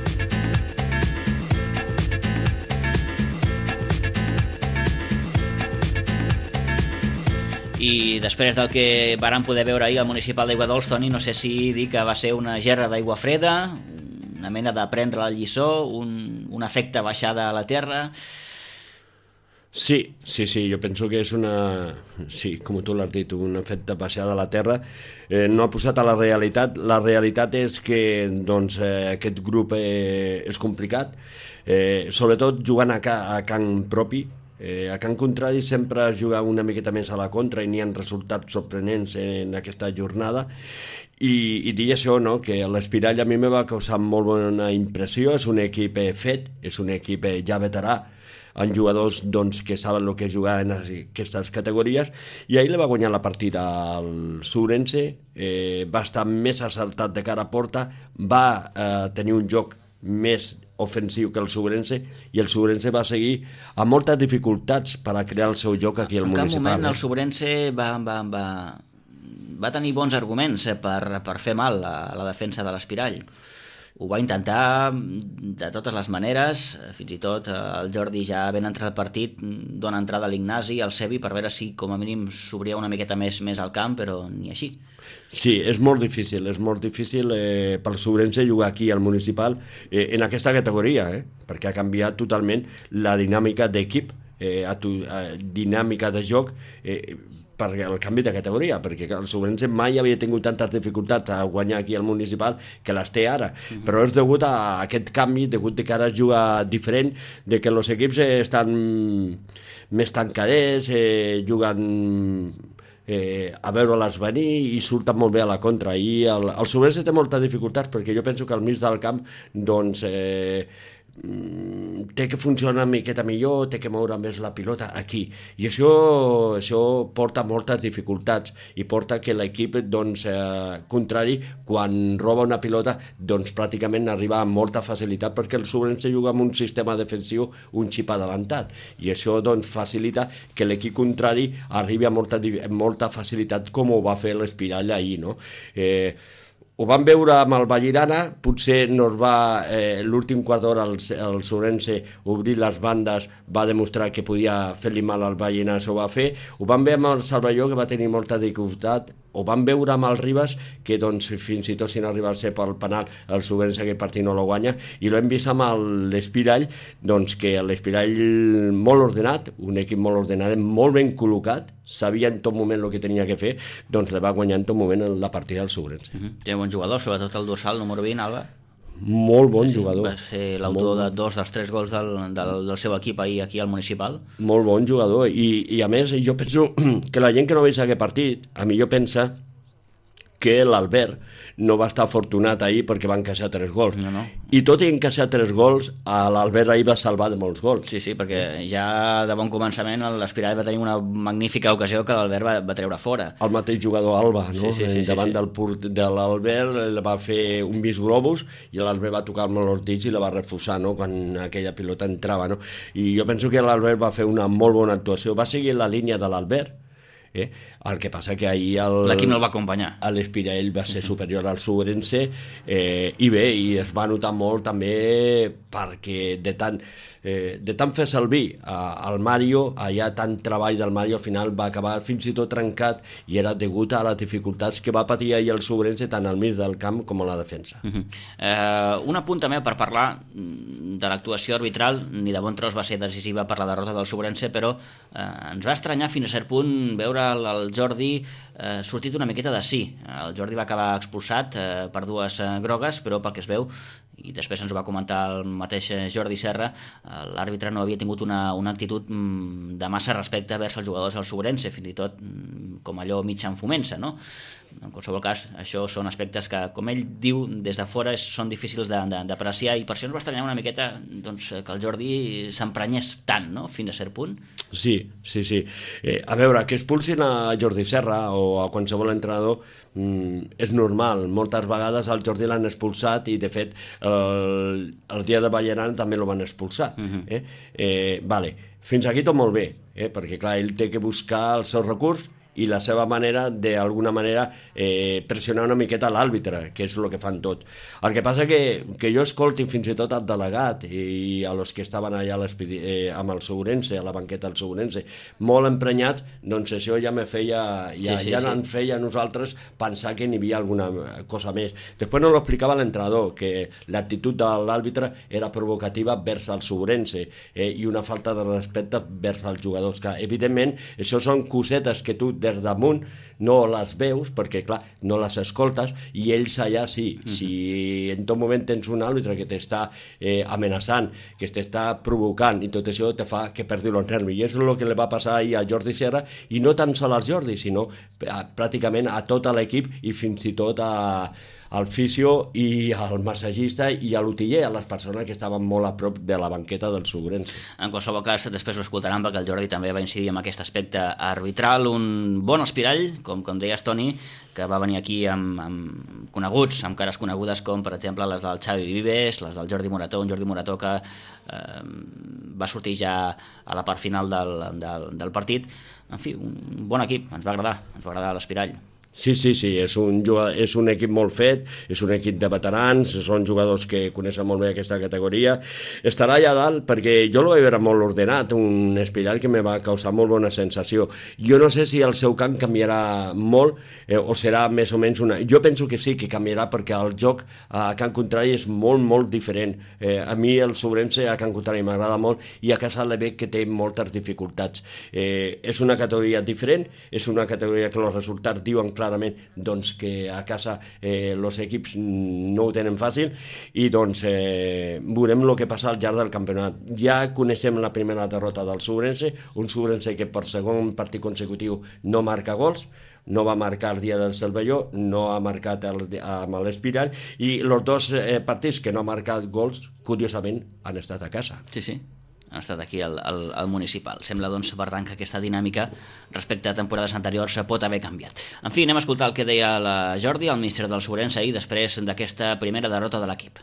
I després del que vàrem poder veure ahir al Municipal d'Aiguadols, Toni, no sé si dir que va ser una gerra d'aigua freda, una mena de prendre la lliçó, un efecte baixada a la terra. Sí, jo penso que és una... Sí, com tu l'has dit, un efecte baixada a la terra. No ha posat a la realitat. La realitat és que doncs, aquest grup és complicat, sobretot jugant a camp propi. A Can Contrari sempre es juga una miqueta més a la contra i n'hi ha resultats sorprenents en aquesta jornada. I dir això, no? Que l'Espirall a mi me va causar molt bona impressió, és un equip fet, és un equip ja veterà, amb jugadors doncs, que saben el que és jugar en aquestes categories, i ahir le va guanyar la partida al Sourense, va estar més assaltat de cara a porta, va tenir un joc més ofensiu que el Sourense, i el Sourense va seguir amb moltes dificultats per a crear el seu joc aquí al municipal. En cap moment el Sourense va tenir bons arguments per fer mal a la defensa de l'Espirall. Ho va intentar de totes les maneres, fins i tot el Jordi ja ben entrat al partit dona entrada a l'Ignasi, al Sebi, per veure si com a mínim s'obria una miqueta més al camp, però ni així. Sí, és molt difícil pel Sourense jugar aquí al municipal en aquesta categoria, perquè ha canviat totalment la dinàmica d'equip, dinàmica de joc, per el canvi de categoria, perquè el Sourense mai havia tingut tantes dificultats a guanyar aquí al municipal que les té ara, però és degut a aquest canvi, degut que ara es juga diferent, de que els equips estan més tancadets, juguen a veure-les venir i surten molt bé a la contra, i el Sourense té moltes dificultats perquè jo penso que al mig del camp doncs té que funcionar una miqueta millor, té que moure més la pilota aquí, i això porta moltes dificultats i porta que l'equip doncs, contrari, quan roba una pilota doncs pràcticament arriba amb molta facilitat, perquè el Sourense juga amb un sistema defensiu un xip adelantat, i això doncs facilita que l'equip contrari arribi amb molta facilitat, com ho va fer l'Espirall ahir, no? Ho vam veure amb el Vallirana, potser no es va, l'últim quart d'hora el Sourense obrir les bandes, va demostrar que podia fer-li mal al Vallirana, això ho va fer. Ho vam veure amb el Salvador, que va tenir molta dificultat. Ho vam veure amb el Ribas, que doncs, fins i tot si no arriba a ser pel penal, el Sourense aquell partit no lo guanya, i l'hem vist amb l'Espirall, doncs que l'Espirall molt ordenat, un equip molt ordenat, molt ben col·locat, sabia en tot moment el que tenia que fer, doncs le va guanyar en tot moment la partida del Sourense. Té un bon jugador, sobretot el dorsal número 20, Alba. Molt bon jugador. Va ser l'autor de 2 dels 3 gols del seu equip ahir aquí al municipal. Molt bon jugador, i a més jo penso que la gent que no veig aquest partit, a millor pensa que l'Albert no va estar afortunat ahir perquè va encaixar 3 gols. No. I tot i encaixar 3 gols, l'Albert ahir va salvar de molts gols. Sí, perquè ja de bon començament l'Espirall va tenir una magnífica ocasió que l'Albert va treure fora. El mateix jugador Alba, no? Sí. Davant de l'Albert va fer un vis globus i l'Albert va tocar molt els dits i la va refusar, no? Quan aquella pilota entrava, no? I jo penso que l'Albert va fer una molt bona actuació. Va seguir la línia de l'Albert, el que passa que ahir l'equip no el va acompanyar, l'Espirall va ser superior al Sourense, i bé, i es va notar molt també perquè de tant fer servir al Mario, allà tant treball del Mario, al final va acabar fins i tot trencat, i era degut a les dificultats que va patir ahir el Sourense tant al mig del camp com a la defensa. Un apunt també per parlar de l'actuació arbitral. Ni de bon tros va ser decisiva per la derrota del Sourense, però ens va estranyar fins a cert punt veure el Jordi sortit una miqueta de sí. El Jordi va acabar expulsat per 2 grogues, però pel que es veu, i després ens ho va comentar el mateix Jordi Serra, l'àrbitre no havia tingut una actitud de massa respecte vers els jugadors del Sourense, fins i tot com allò mig enfument-se, no? En qualsevol cas, això són aspectes que, com ell diu, des de fora són difícils d'apreciar, i per això ens va estranyar una miqueta doncs, que el Jordi s'emprenyés tant, no?, fins a cert punt. Sí. A veure, que expulsin a Jordi Serra o a qualsevol entrenador és normal. Moltes vegades el Jordi l'han expulsat, i de fet el dia de Ballaran també lo van expulsar. Vale. Fins aquí tot molt bé, perquè clar, ell té que buscar el seu recurs i la seva manera, d'alguna manera, pressionar una miqueta l'àrbitre, que és el que fan tot. El que passa que jo escolti fins i tot el delegat i a los que estaven allà amb el Sourense, a la banqueta del Sourense, molt emprenyat, doncs això ja me feia, ens feia a nosaltres pensar que n'hi havia alguna cosa més. Després no l'explicava l'entrenador, que l'actitud de l'àrbitre era provocativa vers el Sourense, i una falta de respecte vers els jugadors, que evidentment això són cosetes que tu des damunt no les veus, perquè clar, no les escoltes, i ells allà sí. Si en tot moment tens un àrbitre que t'està amenaçant, que t'està provocant, i tot això te fa que perdi els nervis. I és el que li va passar ahir a Jordi Serra, i no tan sol al Jordi, sinó pràcticament a tot l'equip i fins i tot al fisio i al massagista i a l'utiller, a les persones que estaven molt a prop de la banqueta del Subrense. En qualsevol cas, després ho escoltaran, perquè el Jordi també va incidir en aquest aspecte arbitral. Un bon espirall, com deies, Toni, que va venir aquí amb coneguts, amb cares conegudes com, per exemple, les del Xavi Vives, les del Jordi Morató, un Jordi Morató que va sortir ja a la part final del partit. En fi, un bon equip, ens va agradar l'espirall. Sí, és un equip molt fet, és un equip de veterans, són jugadors que coneixen molt bé aquesta categoria. Estarà allà dalt perquè jo el vaig veure molt ordenat, un espirall que me va causar molt bona sensació. Jo no sé si el seu camp canviarà molt o serà més o menys una... Jo penso que sí, que canviarà, perquè el joc a Can Contrari és molt, molt diferent. A mi el Subrense a Can Contrari m'agrada molt i a casa le veig que té moltes dificultats. És una categoria diferent, és una categoria que els resultats diuen clarament doncs, que a casa els equips no ho tenen fàcil, i doncs veurem el que passa al llarg del campionat. Ja coneixem la primera derrota del Subrense, un Subrense que per segon partit consecutiu no marca gols, no va marcar el dia del Cervelló, no ha marcat amb l'Espirall, i els dos partits que no ha marcat gols, curiosament, han estat a casa. Sí. Han estat aquí al municipal. Sembla, doncs, per tant, que aquesta dinàmica respecte a temporades anteriors pot haver canviat. En fi, anem a escoltar el que deia la Jordi, el míster del Subrense, ahir, després d'aquesta primera derrota de l'equip.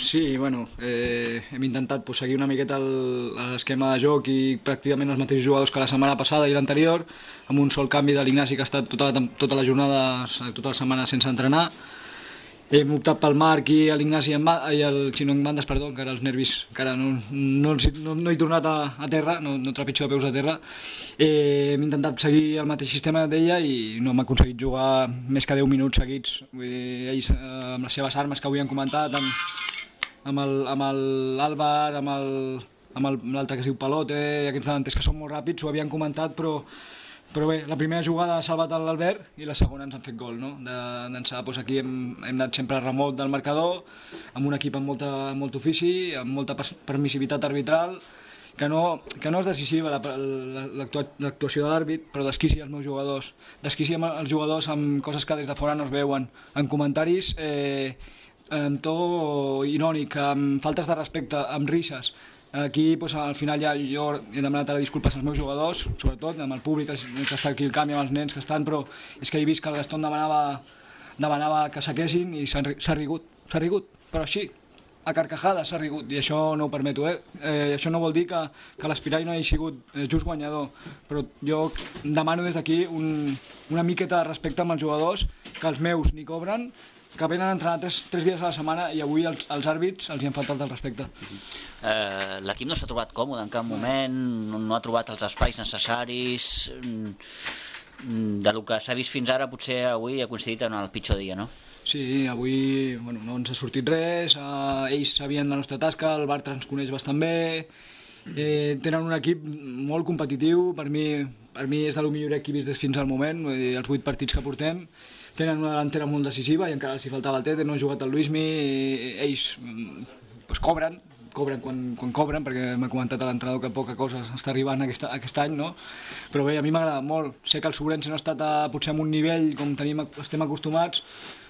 Sí, bueno, hem intentat seguir una miqueta l'esquema de joc i pràcticament els mateixos jugadors que la setmana passada i l'anterior, amb un sol canvi de l'Ignasi, que ha estat tota la jornada, tota la setmana sense entrenar. Hem optat pel Marc i l'Ignasi i el Xino en bandes, perdó, encara els nervis, encara no he tornat a terra, no trepitjo de peus a terra. Hem intentat seguir el mateix sistema d'ella i no hem aconseguit jugar més que 10 minuts seguits. Ells, amb les seves armes que avui han comentat, amb l'Àlvar, amb l'altre que es diu Palote, i aquests davanters que són molt ràpids, ho havien comentat, però bé, la primera jugada ha salvat l'Albert i la segona ens han fet gol, no? D'ençà, doncs aquí hem anat sempre a remot del marcador, amb un equip amb molt ofici, amb molta permissivitat arbitral, que no és decisiva l'actuació de l'àrbit, però desquici els meus jugadors, desquici els jugadors amb coses que des de fora no es veuen, en comentaris amb to irònic, amb faltes de respecte, amb risses. Aquí, al final, ja jo he demanat ara disculpes als meus jugadors, sobretot amb el públic que està aquí al camp i amb els nens que estan, però és que he vist que el Gaston demanava que s'aquessin i s'ha rigut, però així, a carcajades s'ha rigut, i això no ho permeto. Això no vol dir que l'Espirall no hagi sigut just guanyador, però jo demano des d'aquí una miqueta de respecte amb els jugadors, que els meus ni cobren, que venen a entrenar 3 dies a la setmana, i avui als àrbits els hi han faltat el respecte. L'equip no s'ha trobat còmode en cap moment, no ha trobat els espais necessaris, del que s'ha vist fins ara potser avui ha coincidit en el pitjor dia, no? Sí, avui no ens ha sortit res, ells sabien la nostra tasca, el Bartra ens coneix bastant bé, tenen un equip molt competitiu, per mi és de lo millor equip vist fins al moment, els 8 partits que portem. Tenen una delantera molt decisiva i encara els hi faltava el Tete, no ha jugat el Luismi, ells cobren quan cobren, perquè m'ha comentat l'entrenador que poca cosa està arribant aquest any, no? Però bé, a mi m'agrada molt. Sé que el Subrense no ha estat potser en un nivell com estem acostumats,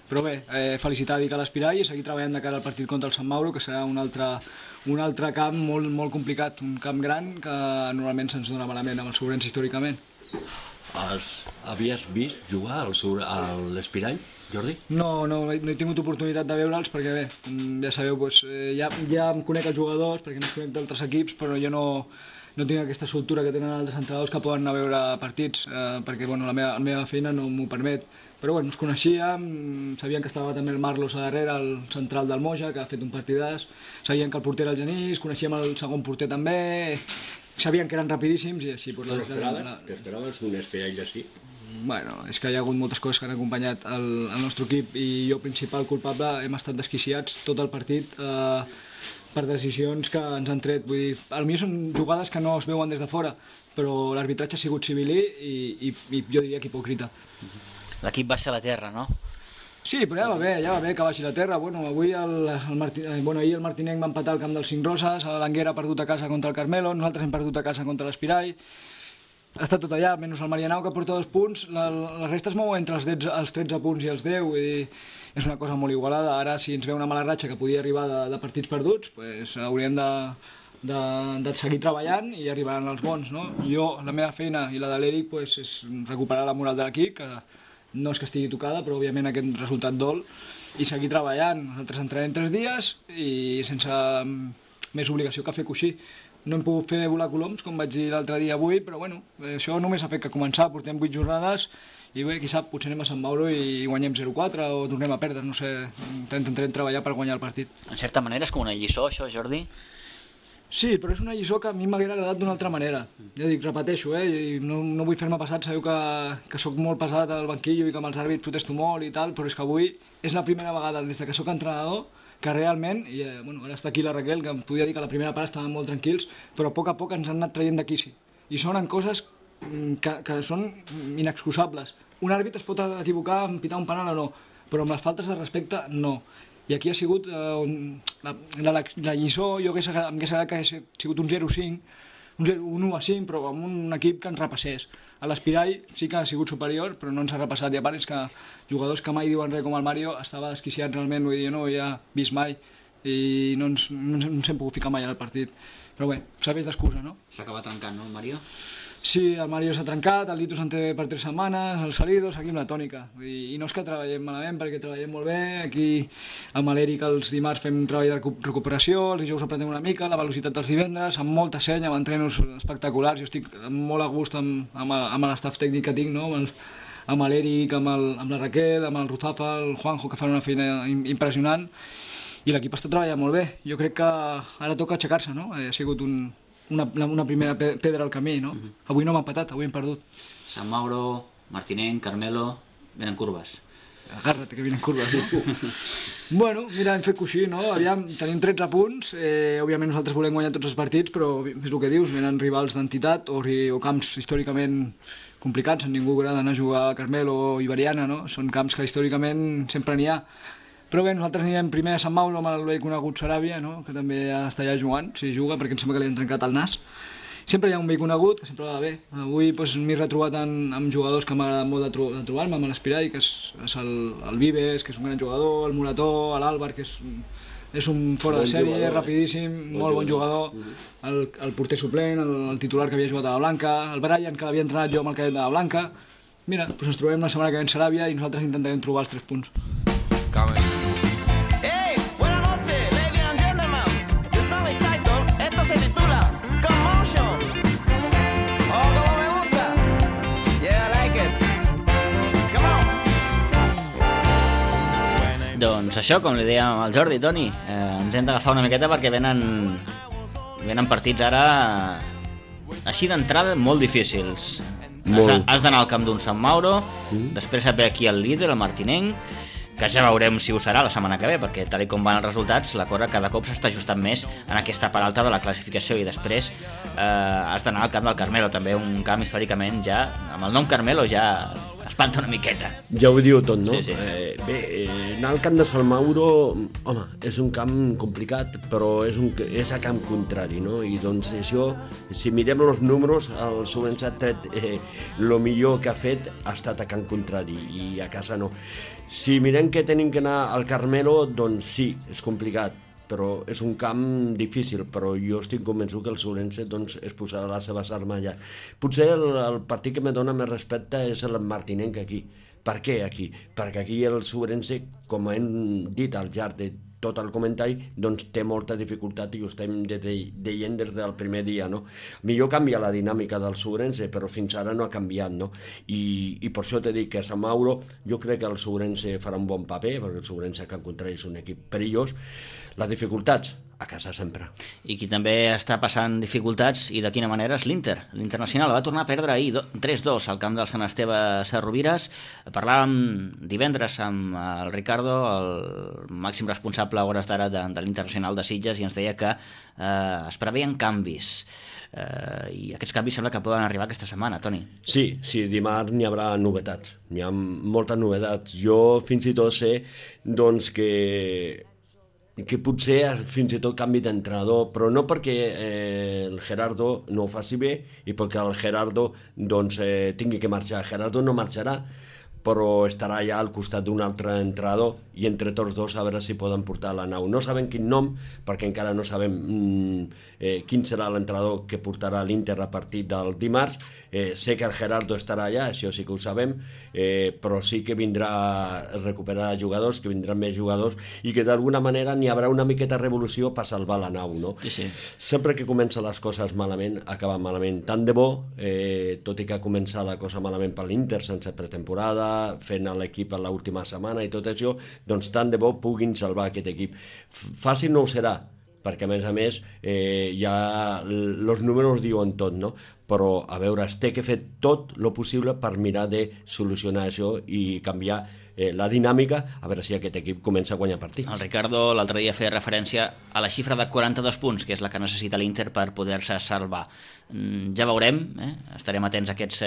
però bé, felicitar a l'Espirall i seguir treballant de cara al partit contra el Sant Mauro, que serà un altre camp molt, molt complicat, un camp gran que normalment se'ns dona malament amb el Subrense històricament. Havies vist jugar a l'Espirall, Jordi? No he tingut oportunitat de veure'ls perquè bé, ja sabeu, ja em conec els jugadors perquè no es conec d'altres equips, però jo no tinc aquesta soltura que tenen altres entrenadors que poden anar a veure partits perquè la meva feina no m'ho permet. Però bueno, ens coneixíem, sabien que estava també el Marlos a darrere, el central del Moja, que ha fet un partidàs, sabien que el porter era el Genís, coneixíem el segon porter també, sabien que eren rapidíssims i així... T'esperaves un Espirall així? Bueno, és que hi ha hagut moltes coses que han acompanyat el nostre equip i jo, principal culpable, hem estat desquiciats tot el partit per decisions que ens han tret. Vull dir, potser són jugades que no es veuen des de fora, però l'arbitratge ha sigut civilí i jo diria que hipòcrita. L'equip baixa a la terra, no? Sí, però ja va bé que baixi la terra. Bueno, avui ahir el Martinenc va empatar al camp dels Cinc Roses, l'Anguera ha perdut a casa contra el Carmelo, nosaltres hem perdut a casa contra l'Espirai. Ha estat tot allà, menys el Marianao, que porta 2 punts. La resta es mou entre els 13 punts i els 10, vull dir, és una cosa molt igualada. Ara, si ens ve una mala ratxa que podia arribar de partits perduts, pues, hauríem de seguir treballant i arribaran els bons, no? Jo, la meva feina i la de l'Eric, pues, és recuperar la moral de l'equip, que no és que estigui tocada, però òbviament aquest resultat dol, i seguir treballant. Nosaltres entrenem 3 dies i sense més obligació que fer coixí. No hem pogut fer volar coloms, com vaig dir l'altre dia avui, però bueno, això només ha fet que començar, portem 8 jornades, i bé, qui sap, potser anem a Sant Mauro i guanyem 0-4 o tornem a perdre, no sé, intentarem treballar per guanyar el partit. En certa manera és com una lliçó, això, Jordi? Sí, però és una lliçó que a mi m'hauria agradat d'una altra manera. Ja dic, repeteixo, i no vull fer-me passat, sabeu que sóc molt pesat al banquillo i que amb els àrbits protesto molt i tal, però és que avui és la primera vegada des que sóc entrenador que realment, i bueno, ara està aquí la Raquel, que em podia dir que a la primera part estàvem molt tranquils, però a poc ens han anat traient d'aquí, sí. I són coses que són inexcusables. Un àrbit es pot equivocar en pitar un penal o no, però amb les faltes de respecte no. I aquí ha sigut la lliçó, jo m'hagués agradat que hagués sigut un 0-5, un 1-5, però amb un equip que ens repassés. A l'Espirai sí que ha sigut superior, però no ens ha repassat, i a part és que jugadors que mai diuen res com el Mario estava desquiciat realment, vull dir, no ho havia vist mai i no ens hem pogut ficar mai al partit. Però bé, serveix d'excusa, no? S'acaba trencant, no, el Mario? Sí, el Mario s'ha trencat, el Lito se'n té per 3 setmanes, el Salido, seguim la tònica. I no és que treballem malament, perquè treballem molt bé. Aquí amb l'Eric els dimarts fem un treball de recuperació, els dijous aprenem una mica, la velocitat dels divendres, amb molta senya, amb entrenos espectaculars. Jo estic molt a gust amb l'estaf tècnic que tinc, no? Amb l'Eric, amb la Raquel, amb el Ruzafa, el Juanjo, que fan una feina impressionant. I l'equip està treballant molt bé. Jo crec que ara toca aixecar-se, no? Ha sigut una primera pedra al camí, no? Avui no m'ha empatat, avui hem perdut. Sant Mauro, Martinenc, Carmelo, venen curves. Agarra't, que venen curves. Bueno, mira, hem fet coixí, no? Aviam, tenim 13 punts, òbviament nosaltres volem guanyar tots els partits, però és el que dius, venen rivals d'entitat o camps històricament complicats, ningú agrada anar a jugar a Carmelo o Iberiana, no? Són camps que històricament sempre n'hi ha. Però bé, nosaltres anirem primer a Sant Mauro amb el bé conegut Saràbia, no? Que també està allà jugant, si juga, perquè em sembla que li han trencat el nas. Sempre hi ha un bé conegut, que sempre va bé. Avui m'he retrobat amb jugadors que m'agrada molt de trobar-me, amb l'Espirai, que és el Vives, que és un gran jugador, el Morató, l'Àlvar, que és un fora de sèrie, rapidíssim, molt bon jugador, el porter suplent, el titular que havia jugat a la Blanca, el Brian, que l'havia entrenat jo amb el cadet de la Blanca. Mira, doncs ens trobem la setmana que ve en Saràbia i nosaltres intentarem trobar els 3 punts. Hey, buenas noches, ladies and gentlemen. Yo soy Title, esto se titula Commotion. Oh, como me gusta. Yeah, I like it. Come on. Doncs això, com li dèiem al Jordi, Toni, ens hem d'agafar una miqueta perquè venen partits ara així d'entrada molt difícils. Has d'anar al camp d'un Sant Mauro, després et ve aquí el líder, el Martinenc, que ja veurem si ho serà la setmana que ve, perquè tal com van els resultats, la cosa cada cop s'està ajustant més en aquesta part alta de la classificació, i després has d'anar al camp del Carmelo, també un camp històricament ja, amb el nom Carmelo ja espanta una miqueta. Ja ho diu tot, no? Sí. Bé, anar al camp de Sant Mauro, home, és un camp complicat, però és a camp contrari, no? I doncs això, si mirem els números, el Sobrense ha tret el millor que ha fet ha estat a camp contrari, i a casa no. Si mirem que tenim que anar al Carmelo, doncs sí, és complicat, però és un camp difícil, però jo estic convençut que el Sobrense doncs, es posarà les seves armes allà. Potser el partit que me dona més respecte és el Martinenc aquí. Per què aquí? Perquè aquí el Sobrense, com hem dit al llarg de tot el comentari, doncs té molta dificultat i ho estem deient des del primer dia, no? Millor canvia la dinàmica del Sobrense, però fins ara no ha canviat, no? I per això t'he dit que a Sant Mauro jo crec que el Sobrense farà un bon paper, perquè el Sobrense que al contrari és un equip perillós. Les dificultats, a casa sempre. I qui també està passant dificultats, i de quina manera, és l'Inter. L'Internacional va tornar a perdre ahir 3-2 al camp del Sant Esteve Sarrovires. Parlàvem divendres amb el Ricardo, el màxim responsable a hores d'ara de l'Internacional de Sitges, i ens deia que es preveien canvis. I aquests canvis sembla que poden arribar aquesta setmana, Toni. Sí, dimarts n'hi haurà novetats. N'hi ha moltes novetats. Jo fins i tot sé doncs, que potser fins i tot canvi d'entrenador, però no perquè el Gerardo no ho faci bé i perquè el Gerardo doncs, tingui que marxar. Gerardo no marxarà, però estarà ja al costat d'un altre entrenador i entre tots dos a veure si poden portar la nau. No sabem quin nom, perquè encara no sabem quin serà l'entrenador que portarà l'Inter a partir del dimarts. Sé que el Gerardo estarà allà, això sí que ho sabem, però sí que vindrà a recuperar jugadors, que vindran més jugadors i que d'alguna manera n'hi haurà una miqueta revolució per salvar la nau, no? Sí. Sempre que comencen les coses malament, acaben malament. Tant de bo, tot i que ha començat la cosa malament per l'Inter, sense pretemporada, fent l'equip a l'última setmana i tot això, doncs tant de bo puguin salvar aquest equip. Fàcil no ho serà, perquè a més ja els números diuen tot, no? Però a veure, es té que fer tot el possible per mirar de solucionar això i canviar la dinàmica, a veure si aquest equip comença a guanyar partits. El Ricardo l'altre dia feia referència a la xifra de 42 punts, que és la que necessita l'Inter per poder-se salvar. Ja veurem, estarem atents a aquests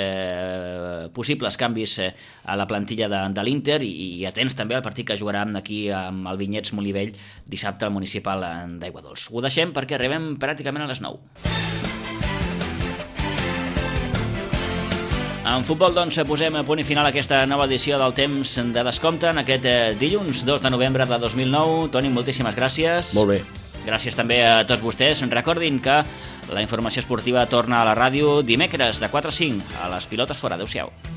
possibles canvis a la plantilla de l'Inter i atents també al partit que jugarà aquí amb el Vinyets Molivell dissabte al municipal d'Aiguadols. Ho deixem perquè arribem pràcticament a les 9. En futbol, doncs, posem a punt i final aquesta nova edició del Temps de Descompte en aquest dilluns 2 de novembre de 2009. Toni, moltíssimes gràcies. Molt bé. Gràcies també a tots vostès. Recordin que la informació esportiva torna a la ràdio dimecres de 4 a 5 a les Pilotes Fora. Adéu-siau.